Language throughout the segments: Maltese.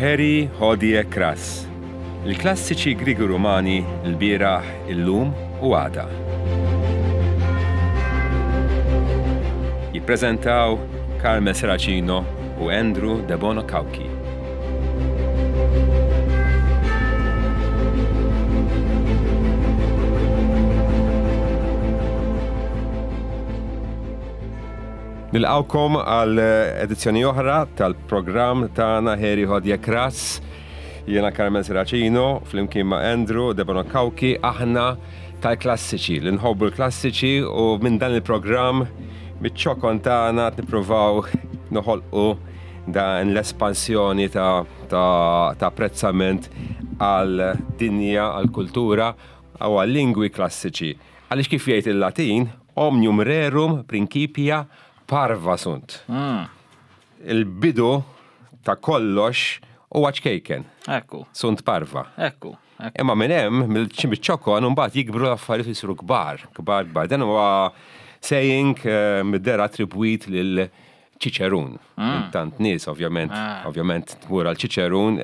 Heri Hodie Cras, il-klassiċi Griegi Rumani l-bieraħ, illum u għada. Jippreżentaw Carmel Seracino u Andrew Debono Cauchi. Nilqgħukom għal edizzjoni oħra tal-programm tagħna Heri Hodje Kras. Jiena Carmen Seracino, flimkien ma' Andrew Debono Cauchi, aħna tal-klassiċi, li nħobbu l-klassiċi u minn dan il-programm miċ-ċokon tagħna nippruvaw noħolqu dan l-espansjoni ta', ta, ta apprezzament għal dinja, għal kultura u għal lingwi klassiċi. Għaliex kif jgħid il-Latin, omnium rerum principia parva sunt. Mm. Il-bidu ta' kollox huwa ċkejken. Ekku. Sunt parva. Ekku. Imma minn hemm, mill-ċokon, mbagħad jikbru l-affarijiet jisiru kbar, kbar, kbar. Dan huwa saying eh, mid-dera attribwit lil Ċiċerun. Mm. Tant nies ovvjament, ah. ovvjament tmur għal Ċiċerun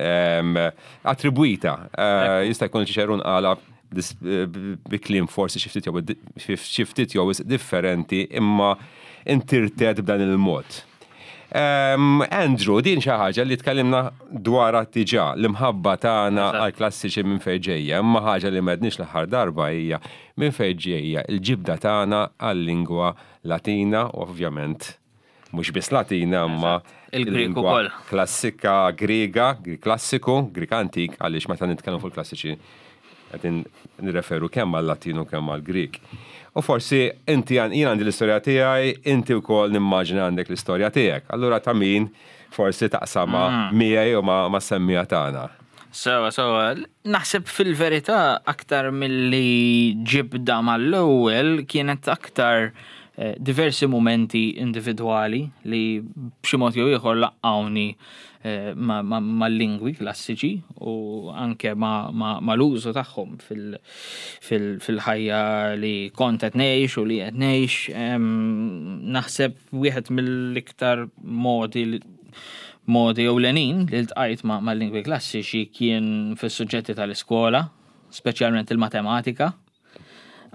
attribwita. Eh, jista' jkun Ċiċerun għala eh, bi kliem forsi xi ftit jew differenti imma intirtet b'dan il-mod. Andrew, din xi ħaġa li tkellimna dwarha diġà, l-imħabba tagħna għal klassiċi minn fejn ġejja, imma ħaġa li m'għedniex l-aħħar darba hija minn fejn ġejja l-ġibda tagħna għal-lingwa Latina u ovvjament mhux biss Latina imma il-Grieg ukoll. Klassika Griega, Grieg klassiku, Grieg antik, għaliex meta nitkellmu fuq il-klassiċi qegħdin nirreferu kemm għal-Latin u kemm għall-Grieg. U forsi inti jien għandi l-istorja tiegħi, inti wkoll nimmaġina għandek l-istorja tiegħek. Allura ta' min forsi taqsamha mm. miegħi u ma' semmija tagħna. Sewa, sewa. Naħseb fil-verità aktar milli ġibda mal-ewwel kienet aktar eh, diversi mumenti individwali li b'xi mod jew ieħor laqqawni eh, mal-lingwi klassiċi u anke mal-użu tagħhom fil-ħajja li kont qed ngħix u li qed ngħix. Naħseb wieħed mill-iktar modi modi ewlenin li ltqajt mal-lingwi klassiċi kien fis-suġġetti tal-iskola, speċjalment il-matematika,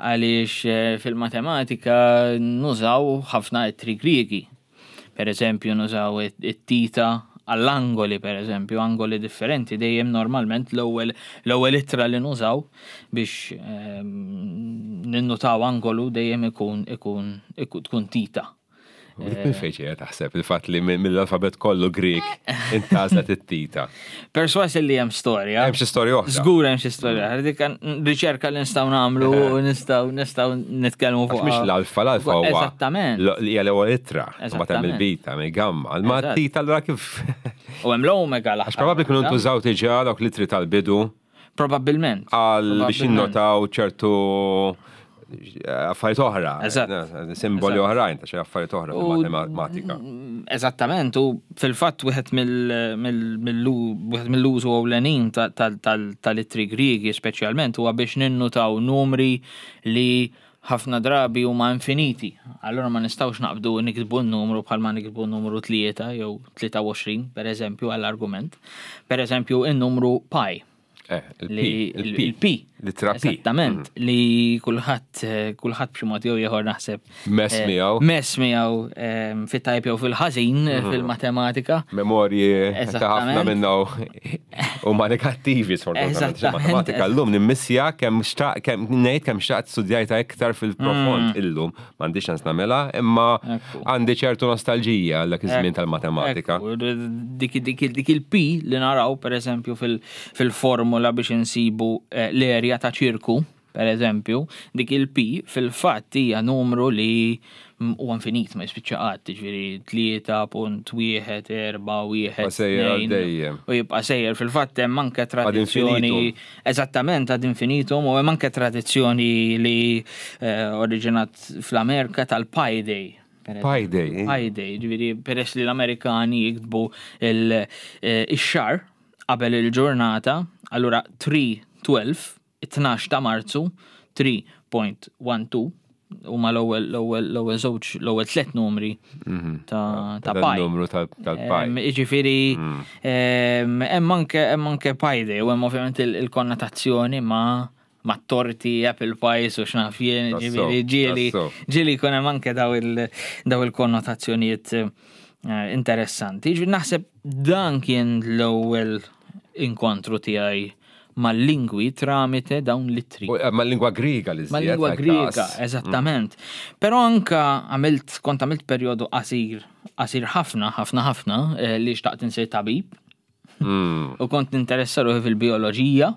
għaliex eh, fil-matematika nużaw ħafna ittri Griegi. Per eżempju, nużaw it-tita għall-angoli, per eżempju, angoli differenti, dejjem normalment l-ewwel l-ewwel ittra li nużaw biex ehm, ninnutaw angolu dejjem ikun ikun tkun tita. Dik minn fejn ġejja taħseb il-fatt li mill-alfabet kollu Grieg intażlet it-tita. Perswas li hemm storja. Hemm xi storja oħra. Żgur hemm xi storja. Dik riċerka li nistgħu nagħmlu u nistgħu nistgħu nitkellmu fuq. Mhix l-alfa, l-alfa huwa. Eżattament. Hija l-ewwel ittra. Mbagħad hemm il-beta, hemm il-gamma. Ma t-tita allura kif. U hemm l-omega l Għax probabbli kienu ntużaw diġà dawk l-ittri tal-bidu. Probabbilment. Għal biex jinnotaw ċertu eh, affarijiet oħra. Eżatt. Simboli oħrajn ta' xi affarijiet oħra fil-matematika. Mm, eżattament, u fil-fatt wieħed mill-użu ewlenin tal-ittri Griegi speċjalment huwa biex ninnutaw numri li ħafna drabi huma infiniti. Allura ma nistgħux naqbdu niktbu n-numru bħalma niktbu n-numru 3 jew 23, per eżempju, għall-argument. Per eżempju, in-numru pi. Eh, il-P. L-ittra P. Esattament, mm. li kulħadd eh, kulħadd b'xi mod jew ieħor naħseb. Mess eh, miegħu. Mess miegħu ehm, fit-tajb jew fil-ħażin mm. fil-matematika. Memorji ta' ħafna minnu huma negattivi sfortunatament. Matematika llum nimmissja kemm xtaq kemm ngħid kemm xtaqt studjajta iktar fil-profond mm. illum m'għandix ċans nagħmilha, imma għandi ċertu nostalġija għal dak iż-żmien tal-matematika. Dik dik il-P li naraw pereżempju fil-formula biex insibu eh, l-erja ta' ċirku, per eżempju, dik il-P fil-fatt hija numru li huwa infinit ma jispiċċa qatt, jiġifieri 3.141 dejjem. U jibqa' sejjer fil-fatt hemm anke tradizzjoni eżattament ad infinitum u hemm anke tradizzjoni li eh, oriġinat fl-Amerika tal-Pi Day. Pi Day. Eh? Pi Day, ġifieri peress li l-Amerikani jiktbu il-xar eh, qabel il-ġurnata, allura 3-12, 12 ta' Marzu, 3.12, Huma l-ewwel l-ewwel l-ewwel żewġ l-ewwel tliet numri ta' ta' pi. Numru tal-pi. Jiġifieri hemm anke hemm anke pi day u hemm ovvjament il-konnotazzjoni ma' ma' torti, apple pies u x'naf jien, ġifieri ġieli ġieli jkun hemm anke daw il-konnotazzjonijiet interessanti. Ġifieri naħseb dan kien l-ewwel inkontru tiegħi mal-lingwi tramite dawn l-ittri. Eh, mal-lingwa Griega li Mal-lingwa Griega, eżattament. Però anka għamilt, kont għamilt perjodu qasir, qasir ħafna, ħafna ħafna, eh, li xtaqt insir tabib. U kont ninteressa ruħi fil-bioloġija,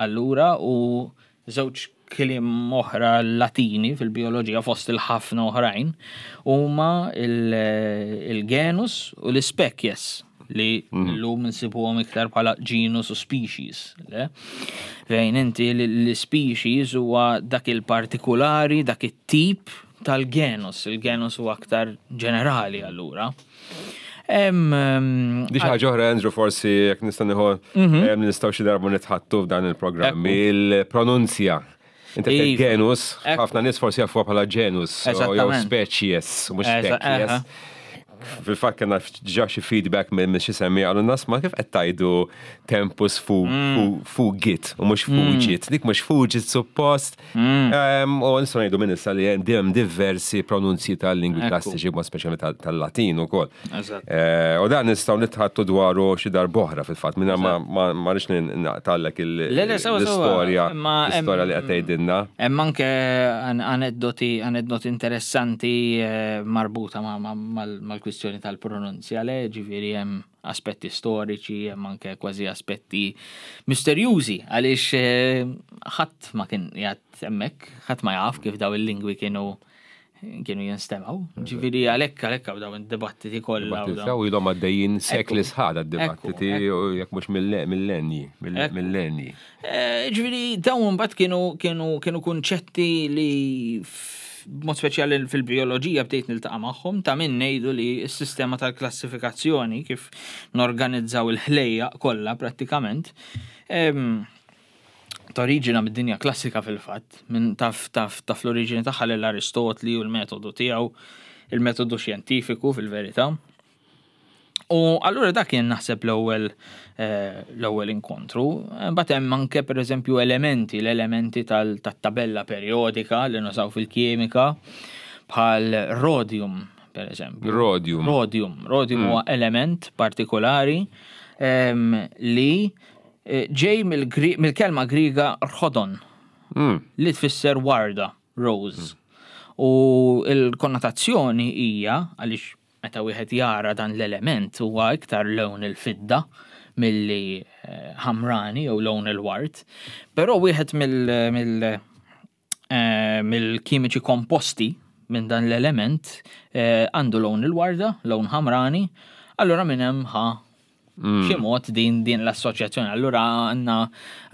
allura, u żewġ kliem oħra Latini fil-bioloġija fost il-ħafna oħrajn huma il-genus u l-species li mhm. llum nsibuhom iktar bħala genus u species. Le? Fejn inti l-species huwa dak il-partikulari, dak it-tip tal-genus. Il-genus huwa aktar ġenerali allura. Di ħaġa oħra, Andrew, forsi jekk nista' nieħu mhm. nistgħu xi darba nitħattu f'dan il-programm il-pronunzja. Inti iva. genus, ħafna nies forsi jafuha bħala genus, jew species, mhux species. Fil-fatt kena ġa xi feedback minn xi semmi għalu nas ma kif qed tajdu tempus fugit u mhux fugit. Dik mhux fugit suppost. Mm. U nistgħu ngħidu minn issa li hemm diversi pronunzji tal-lingwi klassiċi b'mod speċjali tal-Latin ukoll. Eh, u dan nistgħu nitħattu dwaru xi darb'oħra fil-fatt minn ma rridx naqtallek l-istorja l-istorja li qed tgħidilna. Hemm anke aneddoti aneddoti interessanti eh, marbuta mal-kwistjoni tal-pronunzja le ġifieri hemm aspetti storiċi, hemm anke kważi aspetti misterjużi għaliex eh, ħadd ma kien qiegħed hemmhekk, ħadd ma jaf kif daw il-lingwi kienu kienu jinstemaw. Ġifieri għalhekk għalhekk hawn dawn id-dibattiti kollha. Dibattiti ilhom għaddejjin sekli sħad għad-dibattiti jekk mhux millenji, millenji. Eh, ġifieri dawn mbagħad kienu kienu kienu kunċetti li b'mod speċjali fil-bijoloġija bdejt niltaqa' magħhom ta' min ngħidu li s-sistema tal-klassifikazzjoni kif norganizzaw il-ħlejjaq kollha prattikament toriġina mid-dinja klassika fil-fatt, minn taf taf taf l-oriġini tagħha lil Aristotli u l-metodu tiegħu, il-metodu xjentifiku fil-verità. U allura dak kien naħseb l-ewwel eh, l-ewwel inkontru. Mbagħad hemm anke pereżempju elementi, l-elementi tal-tabella perjodika li nużaw fil-kimika bħal rhodium pereżempju. Rhodium. Rhodium. Rhodium huwa mm. element partikolari ehm, li eh, ġej mill-kelma Griega rhodon mm. li tfisser warda, rose. Mm. U l-konnotazzjoni hija għaliex Meta wieħed jara dan l-element huwa iktar lewn il-fidda milli ħamrani jew lewn il-ward. Però wieħed mill-kimiċi komposti minn dan l-element għandu lewn il-warda, lewn ħamrani, allura minn hemm ħa mm. xi mod din din l-assoċjazzjoni. Allura għandna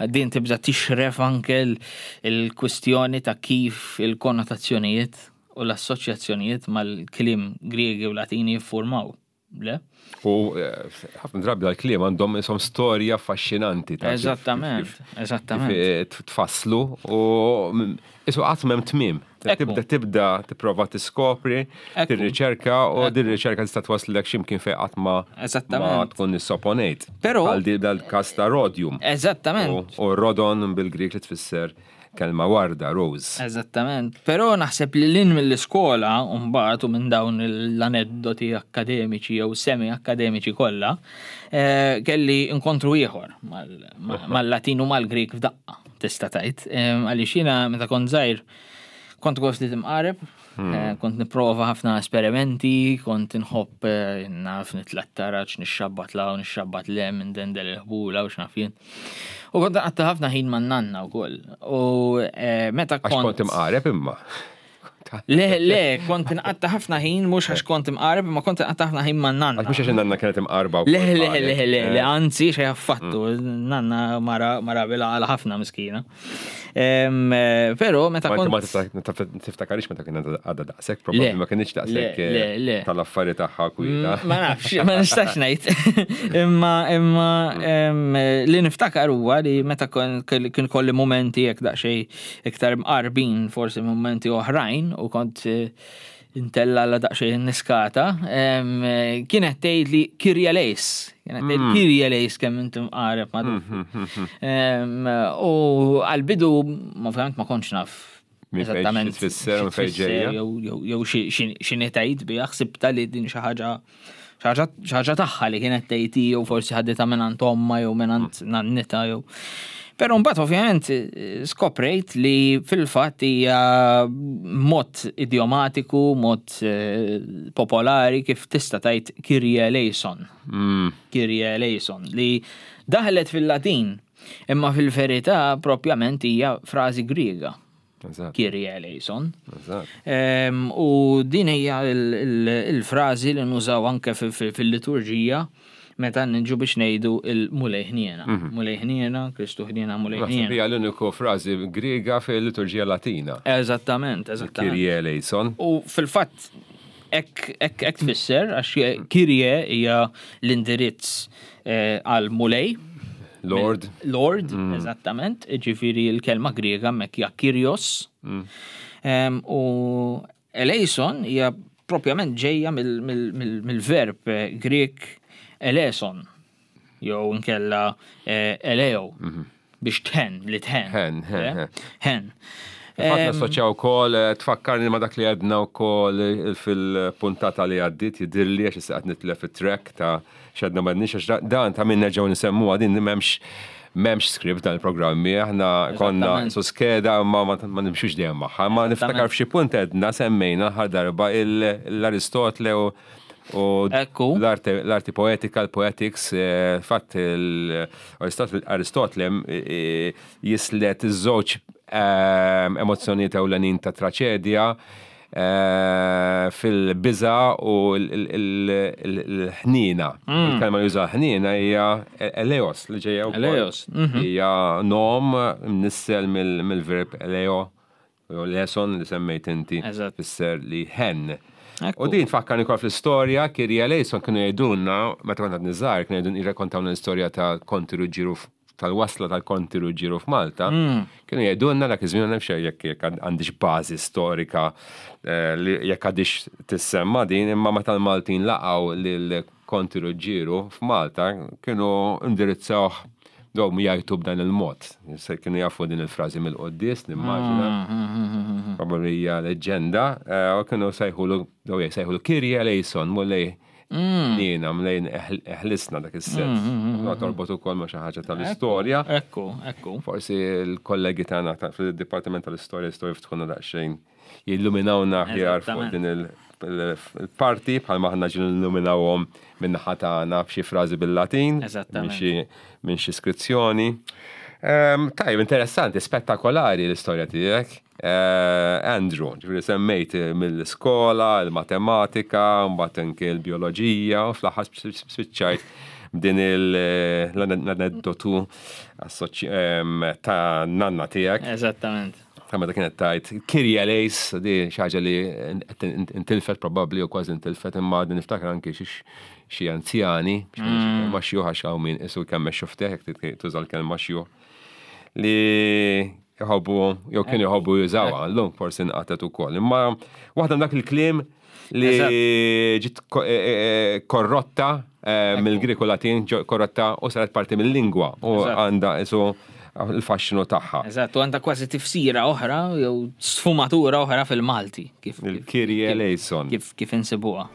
din tibda tixref anke l-kwistjoni ta' kif il-konnotazzjonijiet U l-assoċjazzjonijiet mal-kliem Griegi u Latini jiffurmaw, le? U eh, ħafna drabi dal-kliem għandhom isom storja affaxxinanti. Eżattament, eżattament. Eh, tfasslu u isu qatt m'hemm tmiem. Tibda tibda tipprova tiskopri, tirriċerka u din riċerka tista' twaslek x'imkien fejn qatt ma ma tkun issoponejt. Però għal dal-każ ta' rodium. Eżattament. U rodon bil-Grik li tfisser Kelma warda, rose. Eżattament. Però naħseb li lin mill-iskola mbagħad u minn dawn l-aneddoti akkademiċi jew semi-akkademiċi kollha, eh, kelli inkontru ieħor mal-Latin u mal-Grik f'daqqa, tista' tgħid. Eh, għaliex jiena meta kont żgħir kont ukoll ftit imqareb, hmm. eh, kont nipprova ħafna esperimenti, kont inħobb naf nitlattaraġ, nixxabbat law, nixxabbat lem, ndendel il-ħbula u x'naf jien. U kont nqatta' ħafna ħin man nanna wkoll. U eh, meta kont. Għax kont imqareb imma. Le, le, kont nqatta' ħafna ħin mhux għax kont imqareb, imma kont nqatta' ħafna ħin man nanna. Għax mhux għax nanna kienet imqarba. Le, le, le, le, le, eh. anzi xejn affattu. Mm. Nanna mara mara bila għal ħafna miskina. Eh, però meta kont. Ma tiftakarix meta kien għadha daqshekk, probabbli ma kienx daqshekk eh, tal-affari tagħha kwieta. Mm, ma nafx, ma nistax ngħid. Imma imma mm. li niftakar huwa li meta kien kolli momenti jekk daqsxejn iktar mqarbin forsi momenti oħrajn. u kont intella la daqsxejn niskata, kienet tgħid li Kyrie eleis. Kienet tgħid Kyrie eleis kemm inti mqareb ma' Duffi. U għall-bidu ovvjament ma kontx naf eżattament tfisser u fejn ġejja. Jew x'inhi tgħid biha, ħsibta li din xi ħaġa xi ħaġa tagħha li kienet tgħid hi jew forsi ħaditha mingħand ommha jew mingħand nannitha jew. Però mbagħad ovvjament skoprejt li fil-fatt hija mod idiomatiku, mod popolari kif tista' tgħid Kyrie eleison. Kyrie eleison li daħlet fil-Latin, imma fil-verità propjament hija frażi Griega. Kyrie eleison. U din hija il-frażi li nużaw anke fil-liturġija meta niġu biex ngħidu il-Mulej ħniena. Mulej ħniena, Kristu ħniena, Mulej ħniena. Hija l-uniku frażi Griega fil-liturġija Latina. Eżattament, eżattament. Kyrie eleison. U fil-fatt hekk tfisser għax Kyrie hija l-indirizz għal Mulej. Lord. Lord, eżattament, ġifieri l-kelma Griega hemmhekk hija Kyrios. U eleison hija propjament ġejja mill-verb Grek eleson, jew inkella eleo, biex tħen, li tħen. Ħen, ħen, ħen. Ħen. Fatt nassoċjaw ukoll, tfakkarni ma dak li għedna wkoll fil-puntata li għaddit, jidhirli għax issa qed nitlef it-track ta' x'għedna ma għedniex, għax dan ta' min nerġgħu nsemmuha din m'hemmx script dan il-programmi, aħna konna su skeda ma ma nimxux dejjem magħha, ma niftakar f'xi punt għedna semmejna ħar darba l-Aristotle u l-arti poetika, l-poetics, fatt Aristotle jislet iż-żewġ emozzjonijiet ewlenin ta' traċedja fil-biża u l-ħnina. Il-kelma li juża ħnina hija eleos li ġejja wkoll. Eleos. Hija nom mnissel mill-verb eleo, jew leson li semmejt inti, fisser li ħen. U din tfakkarni wkoll fl-istorja, Kyrie eleison kienu jgħidulna, meta kont għadni żgħar, kienu jgħidulna jirrakkontawna l-istorja ta' Konti Ruġġieru tal-wasla tal-Konti Ruġġieru f'Malta, kienu jgħidulna dak iż-żmien nafx jekk għandix bażi storika li jekk għadix tissemma din, imma meta l-Maltin laqgħu lil Konti Ruġġieru f'Malta kienu indirizzawh dawm jgħajtu b'dan il-mod. Se kienu jafu din il-frażi mill-quddies, nimmaġina. Probabbli hija leġġenda, u kienu sejħulu, daw sejħulu Kyrie eleison, Mulej Nina, mlejn eħlisna dak is-sens. Ma torbot ukoll ma' xi ħaġa tal-istorja. Ekku, ekku. Forsi l-kollegi tagħna fil-Dipartiment tal-Istorja jistgħu jiftħuna daqsxejn jilluminawna aħjar fuq din il-parti bħalma aħna ġieli nilluminawhom min-naħa tagħna b'xi frażi bil-Latin, minn xi skrizzjoni. Tajjeb, interessanti, spettakolari l-istorja tiegħek. Andrew, ġifieri semmejt mill-iskola, il-matematika, mbagħad anke l-bioloġija, u fl-aħħar spiċċajt b'din l-aneddotu ta' nanna tiegħek. Eżattament. Ta' meta kienet tajt Kyrie eleis, di xi ħaġa li intilfet probabbli u kważi intilfet, imma din niftakar anke xi anzjani, ma xjuħ għax hawn min isu kemm xufteħ, jekk tuża l-kelma xjuħ, li jħobbu, jew kienu jħobbu jużawha, llum forsi nqatet ukoll. Imma waħda dak il-kliem li ġiet korrotta mill-Grieg u Latin, korrotta u saret parti mill-lingwa u għandha isu il-faxxinu tagħha. Eżatt, u għandha kważi tifsira oħra jew sfumatura oħra fil-Malti. Il-Kyrie eleison. Kif insibuha.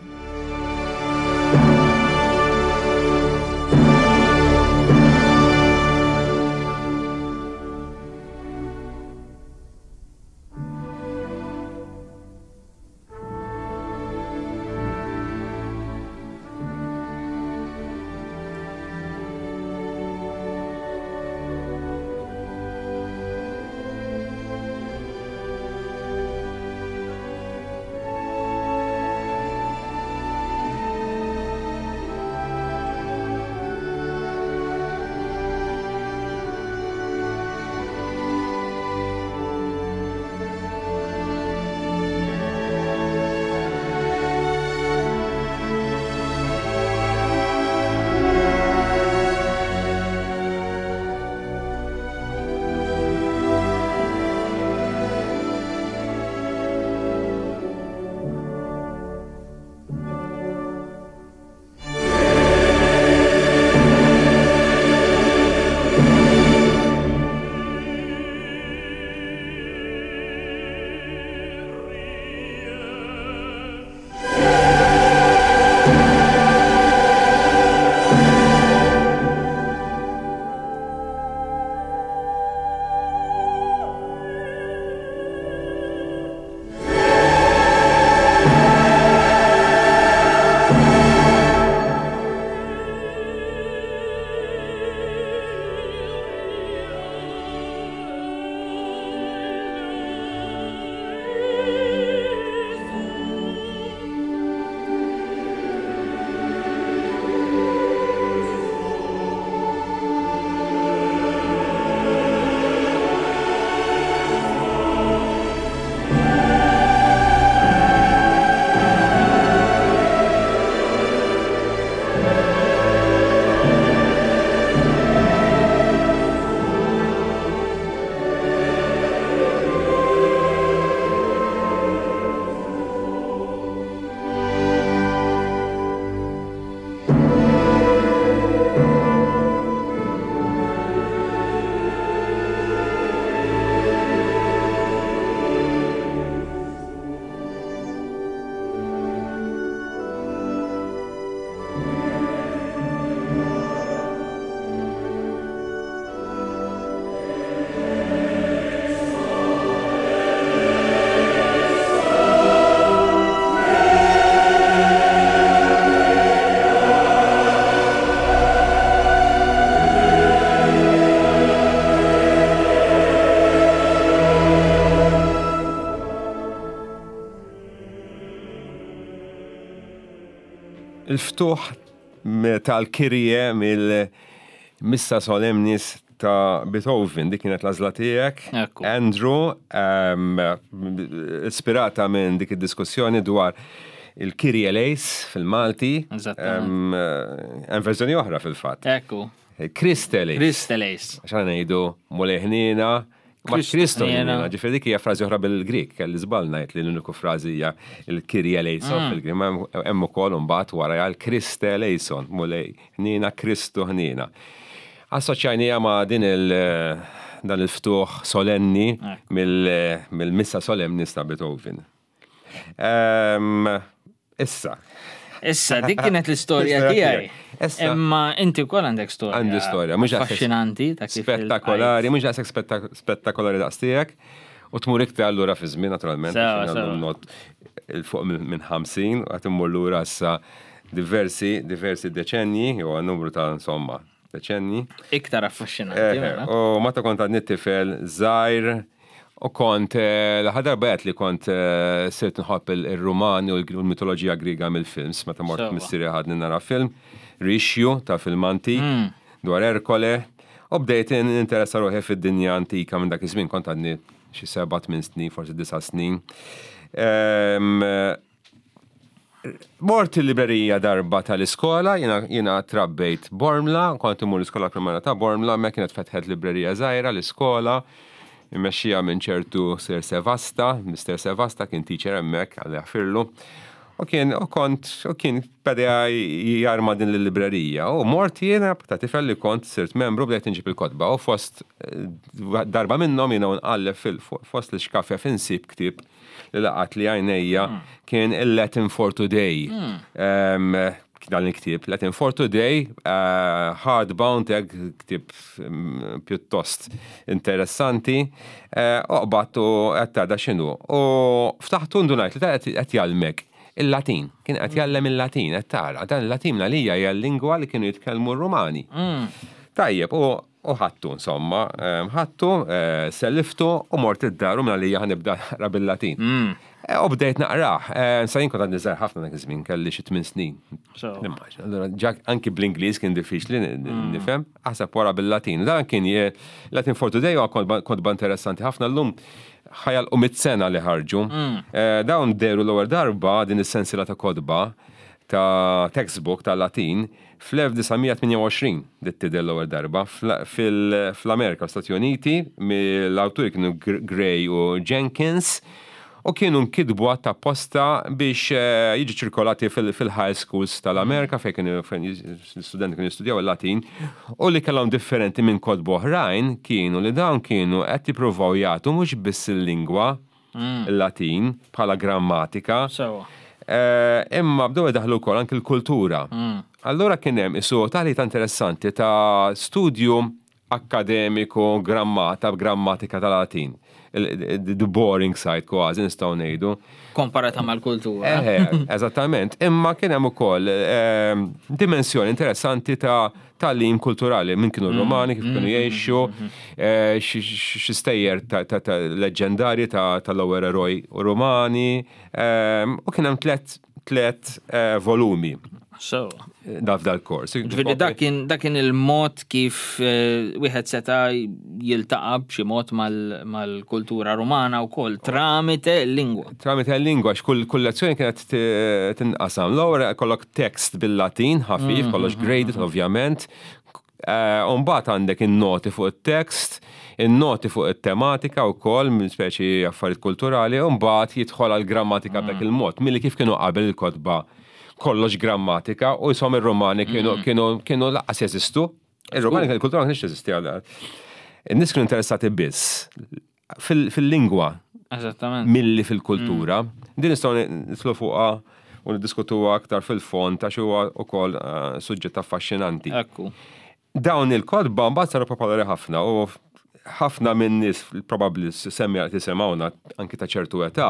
Il-ftuħ tal-Kyrie mill-Missa Solemnis ta' Beethoven, dik kienet l-għażla tiegħek. Andrew, ispirata minn dik id-diskussjoni dwar il-Kyrie eleis fil-Malti. Hemm verżjoni oħra fil-fatt. Ekku. Christe eleis. Christe eleis. Għax aħna ngħidu Mulej ħniena, ma Kristo ħniena. Ġifieri dik hija frażi oħra bil-Grik, kelli żball ngħid li l-uniku frażi hija il-Kyrie eleison mm. fil-Grik, ma hemm ukoll imbagħad wara l-Christe eleison, Mulej ħniena, Kristu ħniena. Assoċjajnija ma' din il- dan il-ftuħ solenni mill-missa solemni ta' Beethoven. Issa. Issa, dik kienet l-istorja tiegħi. Imma inti wkoll għandek storja. Għandi storja, mhux affaxxinanti ta' kif. Spettakolari, mhux daqshekk spettakolari daqs tiegħek. U tmur iktar allura fi żmien naturalment. Not il fuq minn 50 u qed immur lura issa diversi, diversi deċenji, jew numru ta' insomma, deċenji. Iktar affaxxinanti. Eh, mela. U meta kont għadni tifel żgħir u kont eh, l-aħħar darba għedt li kont eh, sirt nħobb il-Rumani u l-mitoloġija Griega mill-films, meta mort missieri ħadni nara film, Rixju ta' film antik hmm. dwar Erkole, u bdejt interessa ruħi fid-dinja antika minn dak iż-żmien kont għadni xi seba' tmien snin, forsi disa' snin. Ehm, Mort il-librerija darba tal-iskola, jiena trabbejt Bormla, kont immur l-iskola primarja ta' Bormla, hemmhekk kienet fetħet librerija żgħira l-iskola, immexxija minn ċertu Sir Sevasta, Mister Sevasta kien teacher hemmhekk, Alla jaħfirlu. U kien u kont u kien beda jarma din l-librerija. U mort jiena ta' tifel li kont sirt membru bdejt inġib il-kotba u fost darba minnhom jiena u nqalleb fost l-ixkafef insib ktieb li laqat li għajnejja hmm. kien il-Latin for Today. Hmm. Dan il-ktieb, Latin for Today, eh, hardbound, hekk ktieb mm, pjuttost interessanti, eh, oqbat u qed tara x'inhu. U ftaħtu ndunajt li qed jgħallmek il-Latin. Kien qed jgħallem il-Latin, qed tara. Dan il-Latin għalija hija l-lingwa li kienu jitkellmu r-Rumani. Hmm. Tajjeb, u U ħadtu, insomma, ħadtu, selliftu u mort id-dar u minn għalija ħa nibda naqra bil-Latin. U bdejt naqrah. Sa jien kont għadni żgħir ħafna dak iż-żmien, kelli xi tmien snin. Nimmaġina. Allura ġa anki bl-Ingliż kien diffiċli nifhem, aħseb wara bil-Latin. Dan kien Latin for Today huwa kotba interessanti ħafna llum ħajalqu mit sena li ħarġu. Dawn dehru l-ewwel darba din is-sensiela ta' kotba ta' textbook ta' Latin Fl-1928 bdiet tidher l-ewwel darba fl-Amerika, Stati Uniti, mill-awturi kienu Gray u Jenkins u kienu nkitbu apposta biex eh, jiġu ċirkolati fil-high schools tal-Amerika fejn kienu l-istudenti kienu jistudjaw il-Latin u li kellhom differenti minn kotba oħrajn kienu li dawn kienu qed jippruvaw jagħtu mhux biss il-lingwa mm. il-Latin bħala grammatika. Eh, imma bdew idaħlu wkoll anki l-kultura. Mm. Allura kien hemm isu taħlita interessanti ta' studju akademiku grammata grammatika tal-Latin. The boring side kważi nistgħu ngħidu. Komparata mal-kultura. Eh, eżattament. Imma kien hemm ukoll eh, dimensjoni interessanti ta' tagħlim kulturali minn kienu r-Romani, kif kienu jgħixu, eh, xi stejjer ta' leġġendarji tal-ewwel eroj Romani, ehm, u kien hemm tlet eh, volumi. So. Da f'dal-kors. Ġifieri dak kien il-mod kif eh, wieħed seta' jiltaqa' b'xi mod mal-kultura Rumana wkoll tramite l-lingwa. Tramite l-lingwa, x'kull kull lezzjoni kienet tinqasam. L-ewwel kollok tekst bil-Latin ħafif, kollox graded ovvjament. Eh, u mbagħad għandek in-noti fuq it-tekst, in-noti fuq it-tematika wkoll, minn speċi affarijiet kulturali, u mbagħad jidħol għal grammatika b'dak il-mod, milli kif kienu qabel il-kotba kollox grammatika u jisom ir-Romani kienu kienu kienu laqqas jeżistu. Ir-Romani il-kultura ma kienx teżisti għal. In-nies kienu interessati biss fil-lingwa. Eżattament. Milli fil-kultura. Mm. Din nistgħu nitlu fuqha u niddiskutuha aktar fil-fond għax huwa wkoll eh, suġġett affaxxinanti. Ekku. Dawn il-kotba mbagħad saru popolari ħafna u ħafna minn nies probabbli semmi qed jisimgħuna anki ta' ċertu età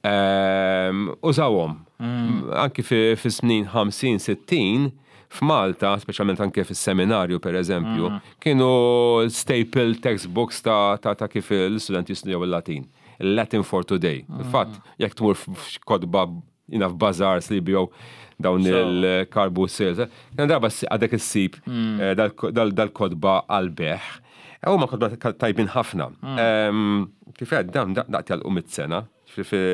ehm, użawhom. Mm. Anki fi snin 50-60 f'Malta, speċjalment anke fis-seminarju per eżempju, mm. kienu staple textbooks ta', ta, ta kif l-istudenti jistudjaw il-Latin. Latin for Today. Mm. Fatt, jekk tmur f'kotba Jina f'bazaars li jbigħu dawn il-car boot sales. Kien darba għadek issib hmm. eh, dal-kodba għal-beħ. Eh, huma kodba tajbin ħafna. Hmm. Kif għed, dawn daqt jalqu mit-sena, fi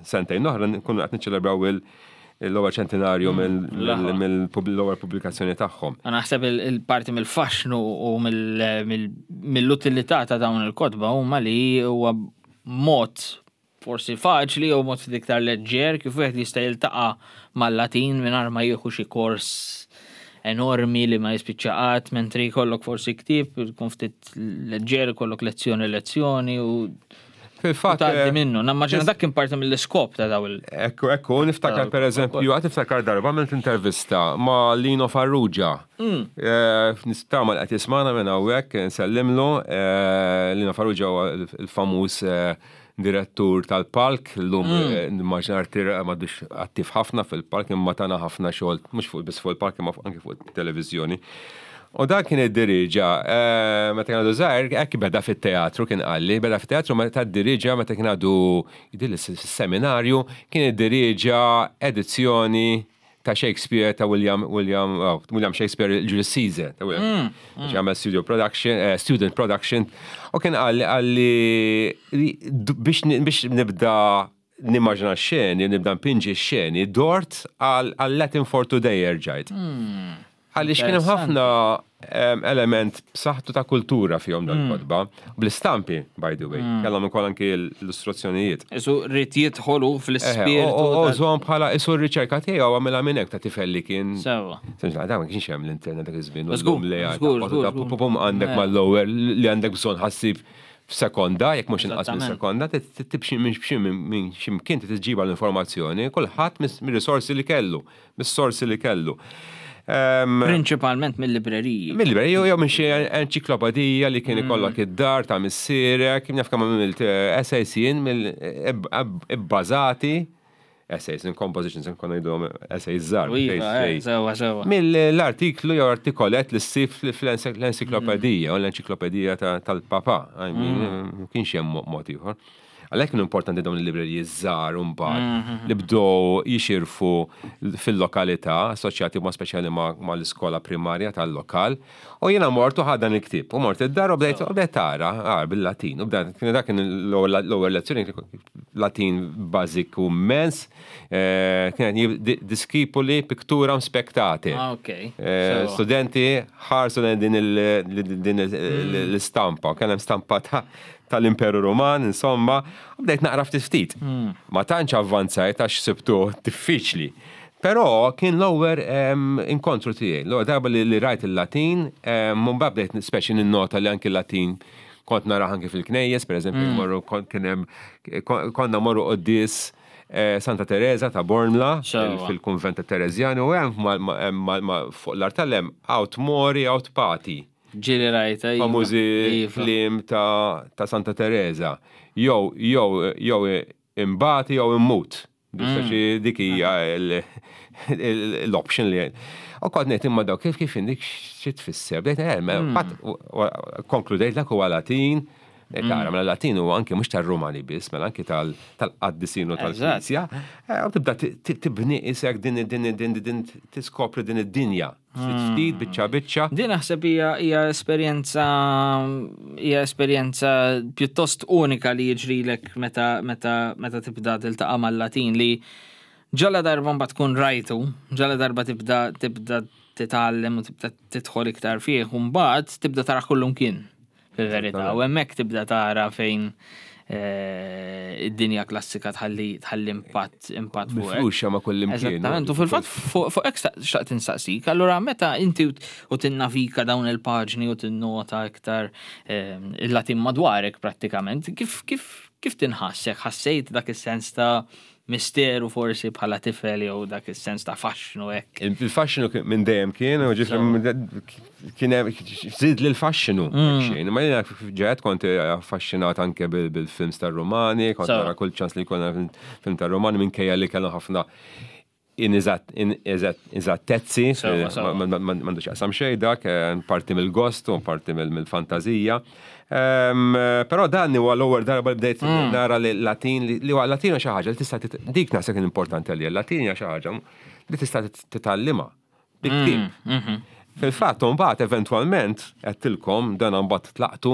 sentejn oħra nkunu qed niċċelebraw l-ewwel ċentinarju hmm. mill-ewwel pubblikazzjoni tagħhom. Naħseb il-parti mill-faxnu u mill-utilità ta' dawn il-kotba huma li huwa mod forsi faċli jew mod ftit iktar leġġer kif wieħed jista' jiltaqa' mal-Latin mingħajr ma jieħu xi kors enormi li ma jispiċċa qatt, mentri jkollok forsi ktieb ikun ftit leġġer, ikollok lezzjoni lezzjoni u Fil-fatt. Tgħaddi eh, minnu. Nammaġina dak kien parti mill-iskop ta' daw il. Ekku, ekku, niftakar per eżempju, għad niftakar darba għamilt intervista ma' Lino Farrugia. Mm. Eh, Nistama li qed jismana minn hawnhekk, nsellimlu. Eh, Lino Farrugia huwa il-famuż direttur tal-palk, llum mm. eh, nimmaġina artir eh, m'għadux attiv ħafna fil-palk imma tana ħafna xogħol mhux fuq biss fuq il-palk imma anke fuq it-televiżjoni. U dan kien id-diriġa, eh, meta kien għadu żgħir, hekk beda fit-teatru kien qalli, beda fit-teatru meta d-diriġa meta kien għadu jidhirli fis-seminarju, kien iddiriġa edizzjoni ta' Shakespeare ta' William William oh, William Shakespeare il-Julius Caesar ta' William. Mm, mm. Għamel studio production, eh, student production. U kien għalli għalli biex biex nibda nimmaġina xeni, nibda npinġi xeni, dort għal Latin for Today erġajt. Mm. Għaliex kien hemm ħafna element b'saħħtu ta' kultura fihom dan hmm. kotba Bl-istampi, by the way. Hmm. Kellhom ukoll anki l-illustrazzjonijiet. Isu rrid jidħolu fl-ispirtu. U żomm bħala isu r-riċerka tiegħu għamilha minn hekk ta' tifel li kien. Sewa. Senġa, da ma kienx hemm l-internet dak iż-żmien. Żgur, għandek eh. mal-lower li għandek bżonn ħassib f'sekonda, jekk mhux inqas minn sekonda, tibxi minn x'imkien tiġiba l-informazzjoni, kulħadd mir-risorsi li kellu. mis-sorsi li kellu. Prinċipalment mill-libreriji. Mill-libreriji jew minn xi enċiklopedija li kien mm. ikollok id-dar ta' missierek, naf kemm għamilt eh, essays jien mill-ibbażati essays in compositions nkun ngħidhom essays żgħar. Iva, eh, sewa, sewa. Mill-artiklu jew artikolet li ssib fl-enċiklopedija u l-enċiklopedija tal-papa. I mean, mm. kienx hemm mod ieħor. Għalhekk kienu importanti dawn il-libreriji żgħar mbagħad mhm. li bdew jixirfu fil-lokalità assoċjati ma' speċjali ma' l-iskola primarja tal-lokal. U jiena mort u ħadt dan il-ktieb. U mort id-dar u bdejt u bdejt tara ah, bil-Latin. U bdejt kien dak kien l-ewwel lezzjoni Latin bażiku immens. Eh, kien discipuli picturam spectate. Ah, ok. Eh, studenti ħarsu din mm. l-istampa. Kien hemm stampa ta' tal-Imperu Ruman, insomma, u bdejt naqra ftit ftit. Hmm. Ma tantx avvanzajt għax sibtu diffiċli. Però kien l-ewwel inkontru tiegħi, l-ewwel darba li rajt il-Latin, mbagħad bdejt speċi ninnota li anki l-Latin kont nara anki fil-knejjes, per eżempju, hmm. morru kien hemm konna morru quddies eh, Santa Teresa ta' Bormla fil-kunvent ta' Terezjani u hemm fuq l-artal hemm out mori out pati. Ġieli rajta. Iva. Famużi iva. kliem ta', ta Santa Teresa. Jew, jew, jew imbati jew immut. Mm. Dik hija l-option li U kont ngħid imma daw kif kif indik xi tfisser. Bdejt eh, mm. konkludejt dak huwa Latin, eh, Tara, mela Latin huwa anke mhux tar-Rumani biss, mela anke tal-qaddisin u tal-Knisja. Eh, u tibda tibni isek din din din din tiskopri din id-dinja. Ftit ftit, biċċa biċċa. Din naħseb hija hija esperjenza hija esperjenza pjuttost unika li jiġrilek meta meta meta tibda tiltaqa' mal-Latin li ġala darba mbagħad tkun rajtu, ġala darba tibda tibda titgħallem u tibda tidħol iktar fih u mbagħad tibda tara kullumkien. Fil-verità, u hemmhekk tibda tara fejn eh, id-dinja klassika tħalli tħalli impatt impatt fuq. Mifruxa ma' kull imkien. Eżattament, u fil-fatt fuq hekk xtaqt insaqsik, allura meta inti u tinnavika dawn il-paġni u tinnota iktar eh, il-Latin madwarek prattikament, kif kif kif tinħassek? Ħassejt dak is-sens ta' misteru forsi bħala tifel jew dak is-sens ta' faxxnu hekk. Il-faxxnu minn dejjem kien, u ġifri kien żid li l-faxxinu. Mm. Xejn, ma jiena ġejt kont affaxxinat anke bil-films tar-Rumani, kont nara kull ċans li jkollna film tar-Rumani minkejja li kellhom ħafna. ineżattezzi, m'għandux jaqsam xejn dak, parti mill-gost u parti mill-fantazija. Però dan huwa l-ewwel darba li bdejt mm. nara li Latin li huwa Latin xi ħaġa li tista' dik naħseb kien importanti għalija, Latin hija xi ħaġa li tista' titgħallimha bi ktieb. Mm, mhm. Fil-fatt, mbagħad eventwalment għedtilkom dan mbagħad tlaqtu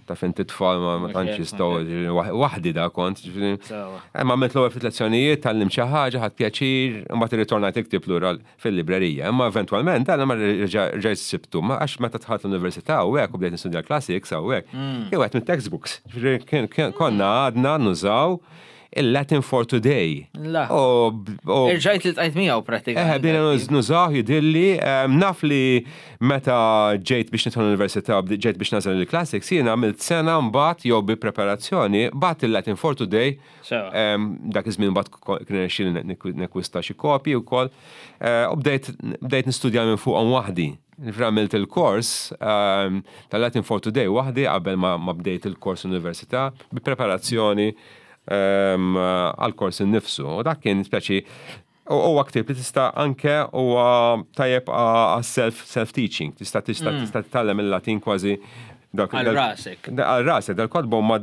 ta' fin titfal ma tantx jistgħu waħdi da kont. Imma għamilt l-ewwel ftit lezzjonijiet, tgħallimt xi ħaġa, ħadt pjaċir, imbagħad irritornajt il-ktieb lura fil-librerija. Imma eventwalment dan ma reġgħet sibtu, għax meta dħalt l-università u hekk u bdejt nistudja l-classics u hekk, mm. kien wieħed mit-textbooks. Konna għadna nużaw il-Latin for Today. La. Irġajt li tqajt miegħu pratikament. Eh, bdejna nużaw jidilli, naf li meta ġejt biex nidħol l-università, ġejt biex nażel il-classics, jiena għamilt sena mbagħad jew bi preparazzjoni, bagħat il-Latin for Today. Dak iż-żmien mbagħad kien irnexxieli nekwista xi kopji wkoll. Eh, u bdejt nistudja minn fuqhom waħdi. Ġifieri għamilt il-kors ehm, tal-Latin for Today waħdi qabel ma bdejt il-kors università bi preparazzjoni ehm, għal-kors innifsu. U dak kien speċi huwa ktieb li tista' anke huwa tajjeb għas-self self teaching. Tista' tista' mm. tista' titgħallem il-Latin kważi dak għal rasek. Għal rasek, dal-kotba huma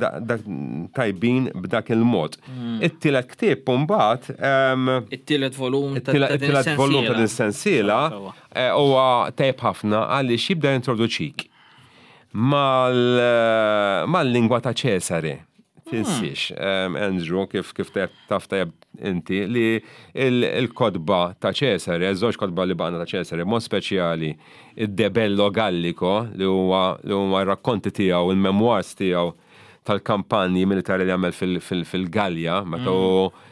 tajbin b'dak il-mod. Mm. It-tielet ktieb mbagħad. Ehm, it-tielet volum ta' it-tielet volum ta' din sensiela eh, huwa tajjeb ħafna għaliex jibda jintroduċik eh, mal-lingwa ta' Ċesare. Tinsiex, hmm. Andrew, kif kif taf tajjeb inti, li il-kotba ta' Ċesare, żewġ kotba li baqna ta' Ċesare, mod speċjali id-De Bello Gallico, li huwa li huma r-rakkonti tiegħu, il-memoirs tiegħu tal-kampanji militari li għamel fil-Galja, meta hu hmm.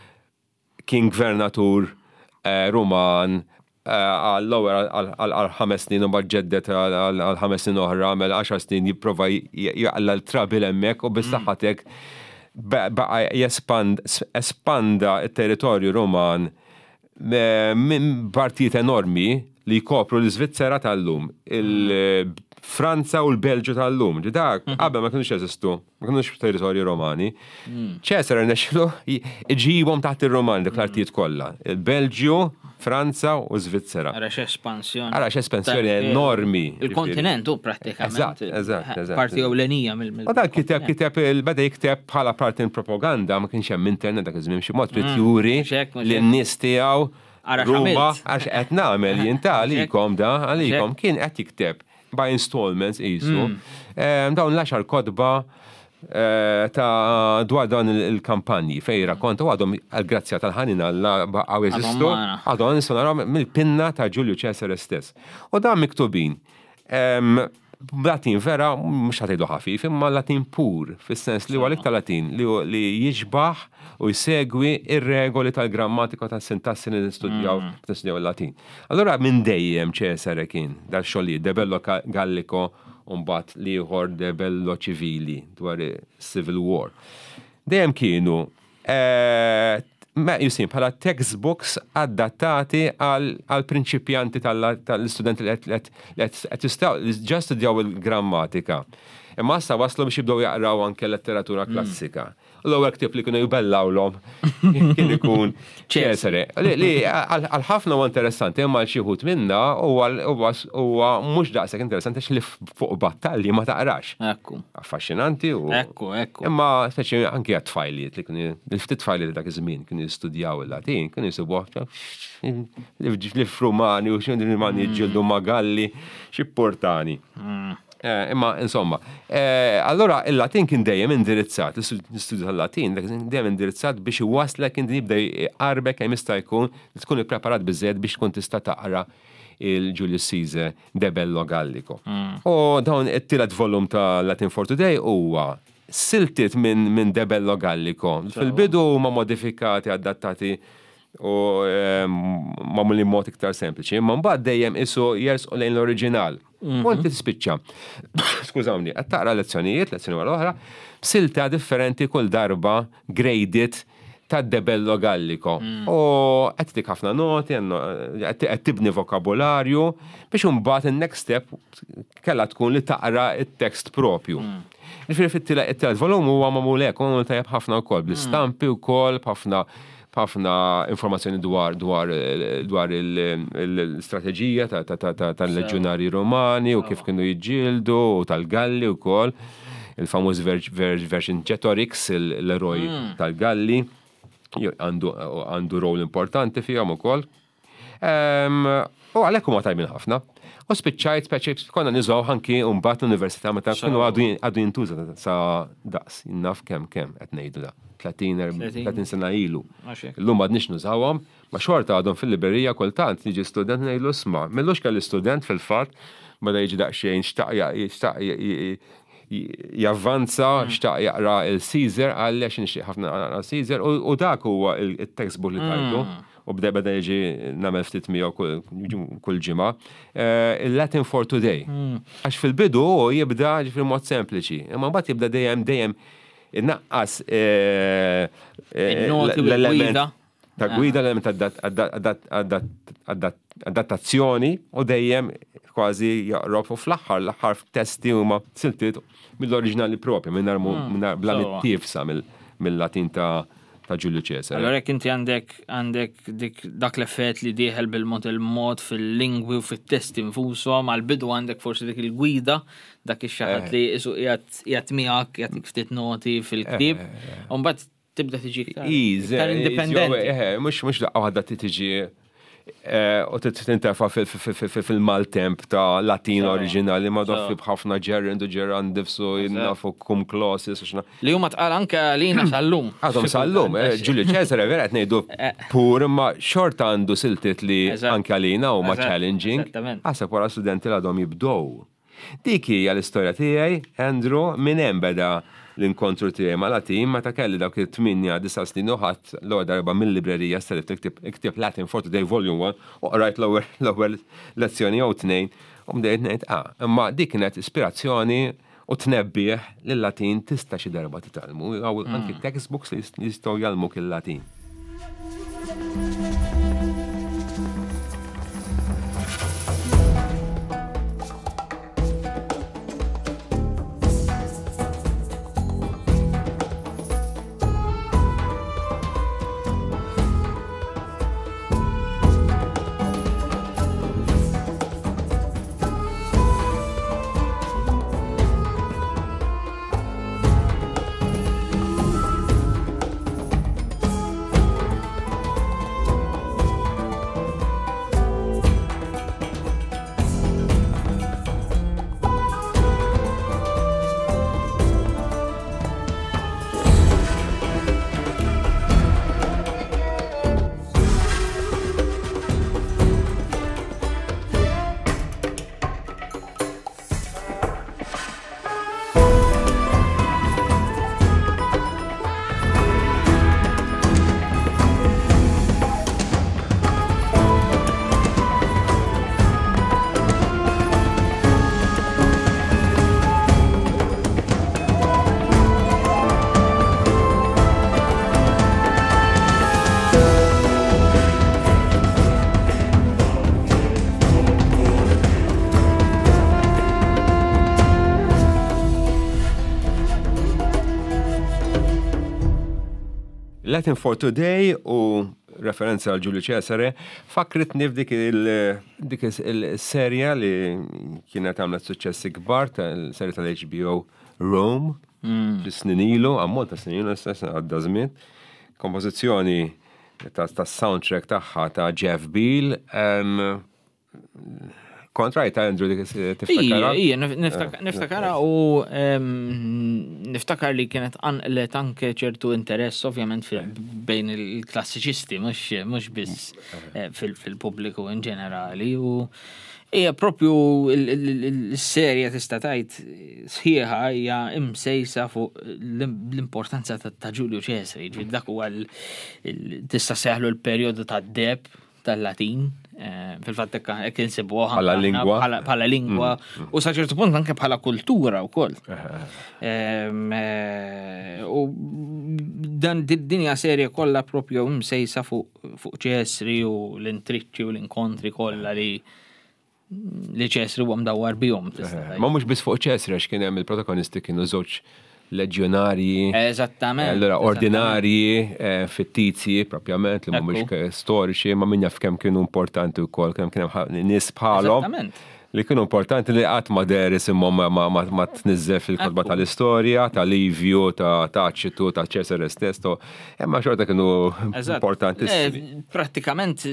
kien gvernatur eh, Ruman eh, għall-ewwel għal ħames snin u mbagħad ġeddet għal ħames snin oħra, għamel għaxar snin jipprova jaqla l-trabil hemmhekk u bis-saħħa mm. t'hekk baqa' jespand espanda t-territorju Ruman eh, minn partijiet enormi li jkopru l-Iżvizzera tal-lum, il-Franza u l-Belġu tal-lum. Dak mhm. qabel ma kienux jeżistu. Ma kinux territorji Romani. Hmm. Ċesar rnexxilu iġibhom taħt ir-Romani dik l-artijiet hmm. kollha. Il-Belġju, Franza u Svizzera. Ara x'espansjoni. Ara x'espansjoni enormi. Il-kontinent u pratikament. Eżatt, eżatt, eżatt. Parti ewlenija mill. U dan kiteb kiteb beda jikteb bħala parti propaganda ma kienx hemm internet dak iż-żmien xi mod trid hmm. juri lin-nies tiegħu Ruma għax qed nagħmel jien ta' għalikom da għalikom kien qed jikteb by installments qisu. Mm. Dawn l-għaxar kotba eh, ta' dwar dawn il-kampanji fej rakkonta u għadhom għal-grazzja tal-ħanin Alla baqgħu jeżistu, għadhom nistgħu naraw mill-pinna ta' Ġulju Ċesare stess. U dan miktubin Latin vera, mhux ħatejdu ħafif, imma Latin pur, fis-sens li huwa l-iktar Latin li jixbaħ u jsegwi ir-regoli tal-grammatika tas-sintassi li nistudjaw mm. nistudjaw il-Latin. Allura minn dejjem Ċesare kien dal-xogħlijiet De Bello Gallico u mbagħad l-ieħor De Bello Civili dwar Civil War. Dejjem kienu eh, meqjusin bħala textbooks adattati għal prinċipjanti tal-istudenti li qed jistgħu ġa studjaw il-grammatika. Imma issa waslu biex jibdew jaqraw anke letteratura mm. klassika. L-ewwel ktieb li kienu jbellawlhom kien ikun Ċesare. Li għal ħafna huwa interessanti, imma għal xi wħud minna huwa mhux daqshekk interessanti għax li fuq battalji ma taqrax. Ekku. Affaxxinanti u. Ekku, ekku. Imma speċi anki għat-tfajliet li kienu il-ftit tfajliet dak iż-żmien kienu jistudjaw il-Latin, kienu jsibuh li f'Rumani u xi Rumani jiġġieldu ma' Galli, xi portani. Mm. Eh, imma insomma, eh, allora il-Latin kien dejjem indirizzat, l-istudju tal-Latin dejjem indirizzat biex iwaslek inti jibda jqarbek kemm jista' jkun li tkun ippreparat biżejjed biex tkun tista' taqra il-Julius Caesar de Bello Gallico. Mm. U dawn it-tielet volum ta' Latin for Today huwa siltiet minn min De Bello Gallico. Fil-bidu huma modifikati, adattati u magħmulin mod iktar sempliċi, imma mbagħad dejjem isu jersqu lejn l-oriġinal. Mhm. U inti tispiċċa, skużawni, qed taqra lezzjonijiet, lezzjoni wara oħra, silta differenti kull darba graded ta' debello gallico. Mm. U qed tik ħafna noti, qed tibni vokabularju biex imbagħad in-next step kellha tkun li taqra it-tekst propju. Mm. Ġifieri fit-tielet volum huwa magħmul hekk, magħmul tajjeb ħafna wkoll bl-istampi wkoll b'ħafna. B'ħafna informazzjoni dwar dwar dwar l-istrateġija tal-leġjonarji Romani u kif kienu jiġġieldu u tal-Galli wkoll. Il-famuż Vercingetorix, l-eroj tal-Galli, għandu rol importanti fihom ukoll. U għalhekk huma tajbin ħafna. U spiċċajt speċi konna niżgħu anki mbagħad l-università meta kienu għadu jintuża sa daqs naf kemm kemm qed ngħidu da. 30 sena ilu. Illum m'għadniex nużawhom, ma xorta għadhom fil-librerija kultant jiġi student ngħidlu isma' m'illux kelli student fil-fatt beda jiġi daqsxejn xtaq xtaq javvanza, xtaq jaqra il-Caesar, qalli għax nixtieq ħafna naqra Caesar u dak huwa il-textbook li tajtu. U bda beda jiġi nagħmel ftit miegħu kull ġimgħa. Eh, Il-Latin for Today. Hmm. Għax fil-bidu jibda ġifieri mod sempliċi, imma mbagħad jibda dejjem dejjem innaqqas eh, eh, l-element ta' gwida l-element adattazzjoni u dejjem kważi jaqrob u fl-aħħar l-aħħar testi huma siltiet mill-oriġinali propja minn hmm. bla mittifsa mill-Latin ta' ta' Ġulju Ċesare. Allora jekk inti għandek għandek dik dak l-effett li dieħel bil-mod il-mod fil-lingwi u fit-testi nfushom, għall-bidu għandek forsi dik il-gwida, dak ix-xi ħadd li isu qiegħed miegħek jagħtik ftit noti fil-ktieb, eh, eh, eh. u mbagħad tibda tiġi iktar indipendenti. Mhux mhux daqqa waħda tiġi Eh, u tintefa fil-maltemp ta' Latin oriġinali ma doffi b'ħafna gerund u gerundifs u jinnafu cum clauses u xna. Li huma tqal anke għalina sal-lum. Għadhom sal-lum, eh, Ġulju Ċesare vera qed ngħidu eh. pur imma xorta għandu siltiet li anke għalina huma challenging. Għasab wara studenti li għadhom jibdow. Dik hija l-istorja tiegħi, Andrew, minn hemm beda l-inkontru tiegħi ma' Latin meta kelli dawk it-tmienja, disa' snin u ħadt l-ewwel darba mil-librerija ssellifت il-ktieb, il-ktieb Latin for Today Volume 1 u qrajt l-ewwel l-ewwel lezzjoni jew tnejn u bdejt ngħid ah, imma dik kienet ispirazzjoni u tnebbiħ li l-Latin tista' xi darba titgħallmu, hawn anki textbooks li jistgħu jgħallmuk il-Latin. Latin for Today u referenza għal Ġulju Ċesare fakritni f'dik dik il-serja li kienet għamlet suċċessi kbar tal-serja tal-HBO Rome mm. snin ilu, ammont ta' snin ilu, għadda żmien. Kompożizzjoni ta' soundtrack tagħha ta' Jeff Beal. Kont rajta Andrew dik tiftakara? Ija, niftakara u niftakar li kienet anqlet anke ċertu interess ovvjament bejn il-klassiċisti, mhux biss eh, fil-pubbliku in ġenerali. U hija propju l-serja tista' tgħid sħiħa hija imsejsa fuq l-importanza ta' Ġulju Ċesari, ġifieri dak huwa tista' seħlu l-perjodu tad-deb tal-Latin, eh, fil-fatt hekk insibuha bħala lingwa. Bħala lingwa mm, mm. u sa ċertu punt anke bħala kultura wkoll. Eh, u dan dinja serje kollha propju msejsa fuq ċesri u l-intriċċi u l-inkontri kollha li li ċesri huwa mdawwar bihom. Eh, ma mhux biss fuq ċesri għax kien hemm il-protagonisti kienu żewġ leġjonarji. Eżattament. Allura ordinarji, eh, fittizji propjament li mhumiex storiċi, ma min jaf kemm kienu importanti wkoll, kemm kien hemm nies bħalhom. Li kienu importanti li qatt ma deher isimhom ma, ma, ma tniżżel fil-kotba tal-istorja, ta' Livju, ta' Taċitu, ta' Cesare stess, imma xorta kienu importantissimi. Eh, prattikament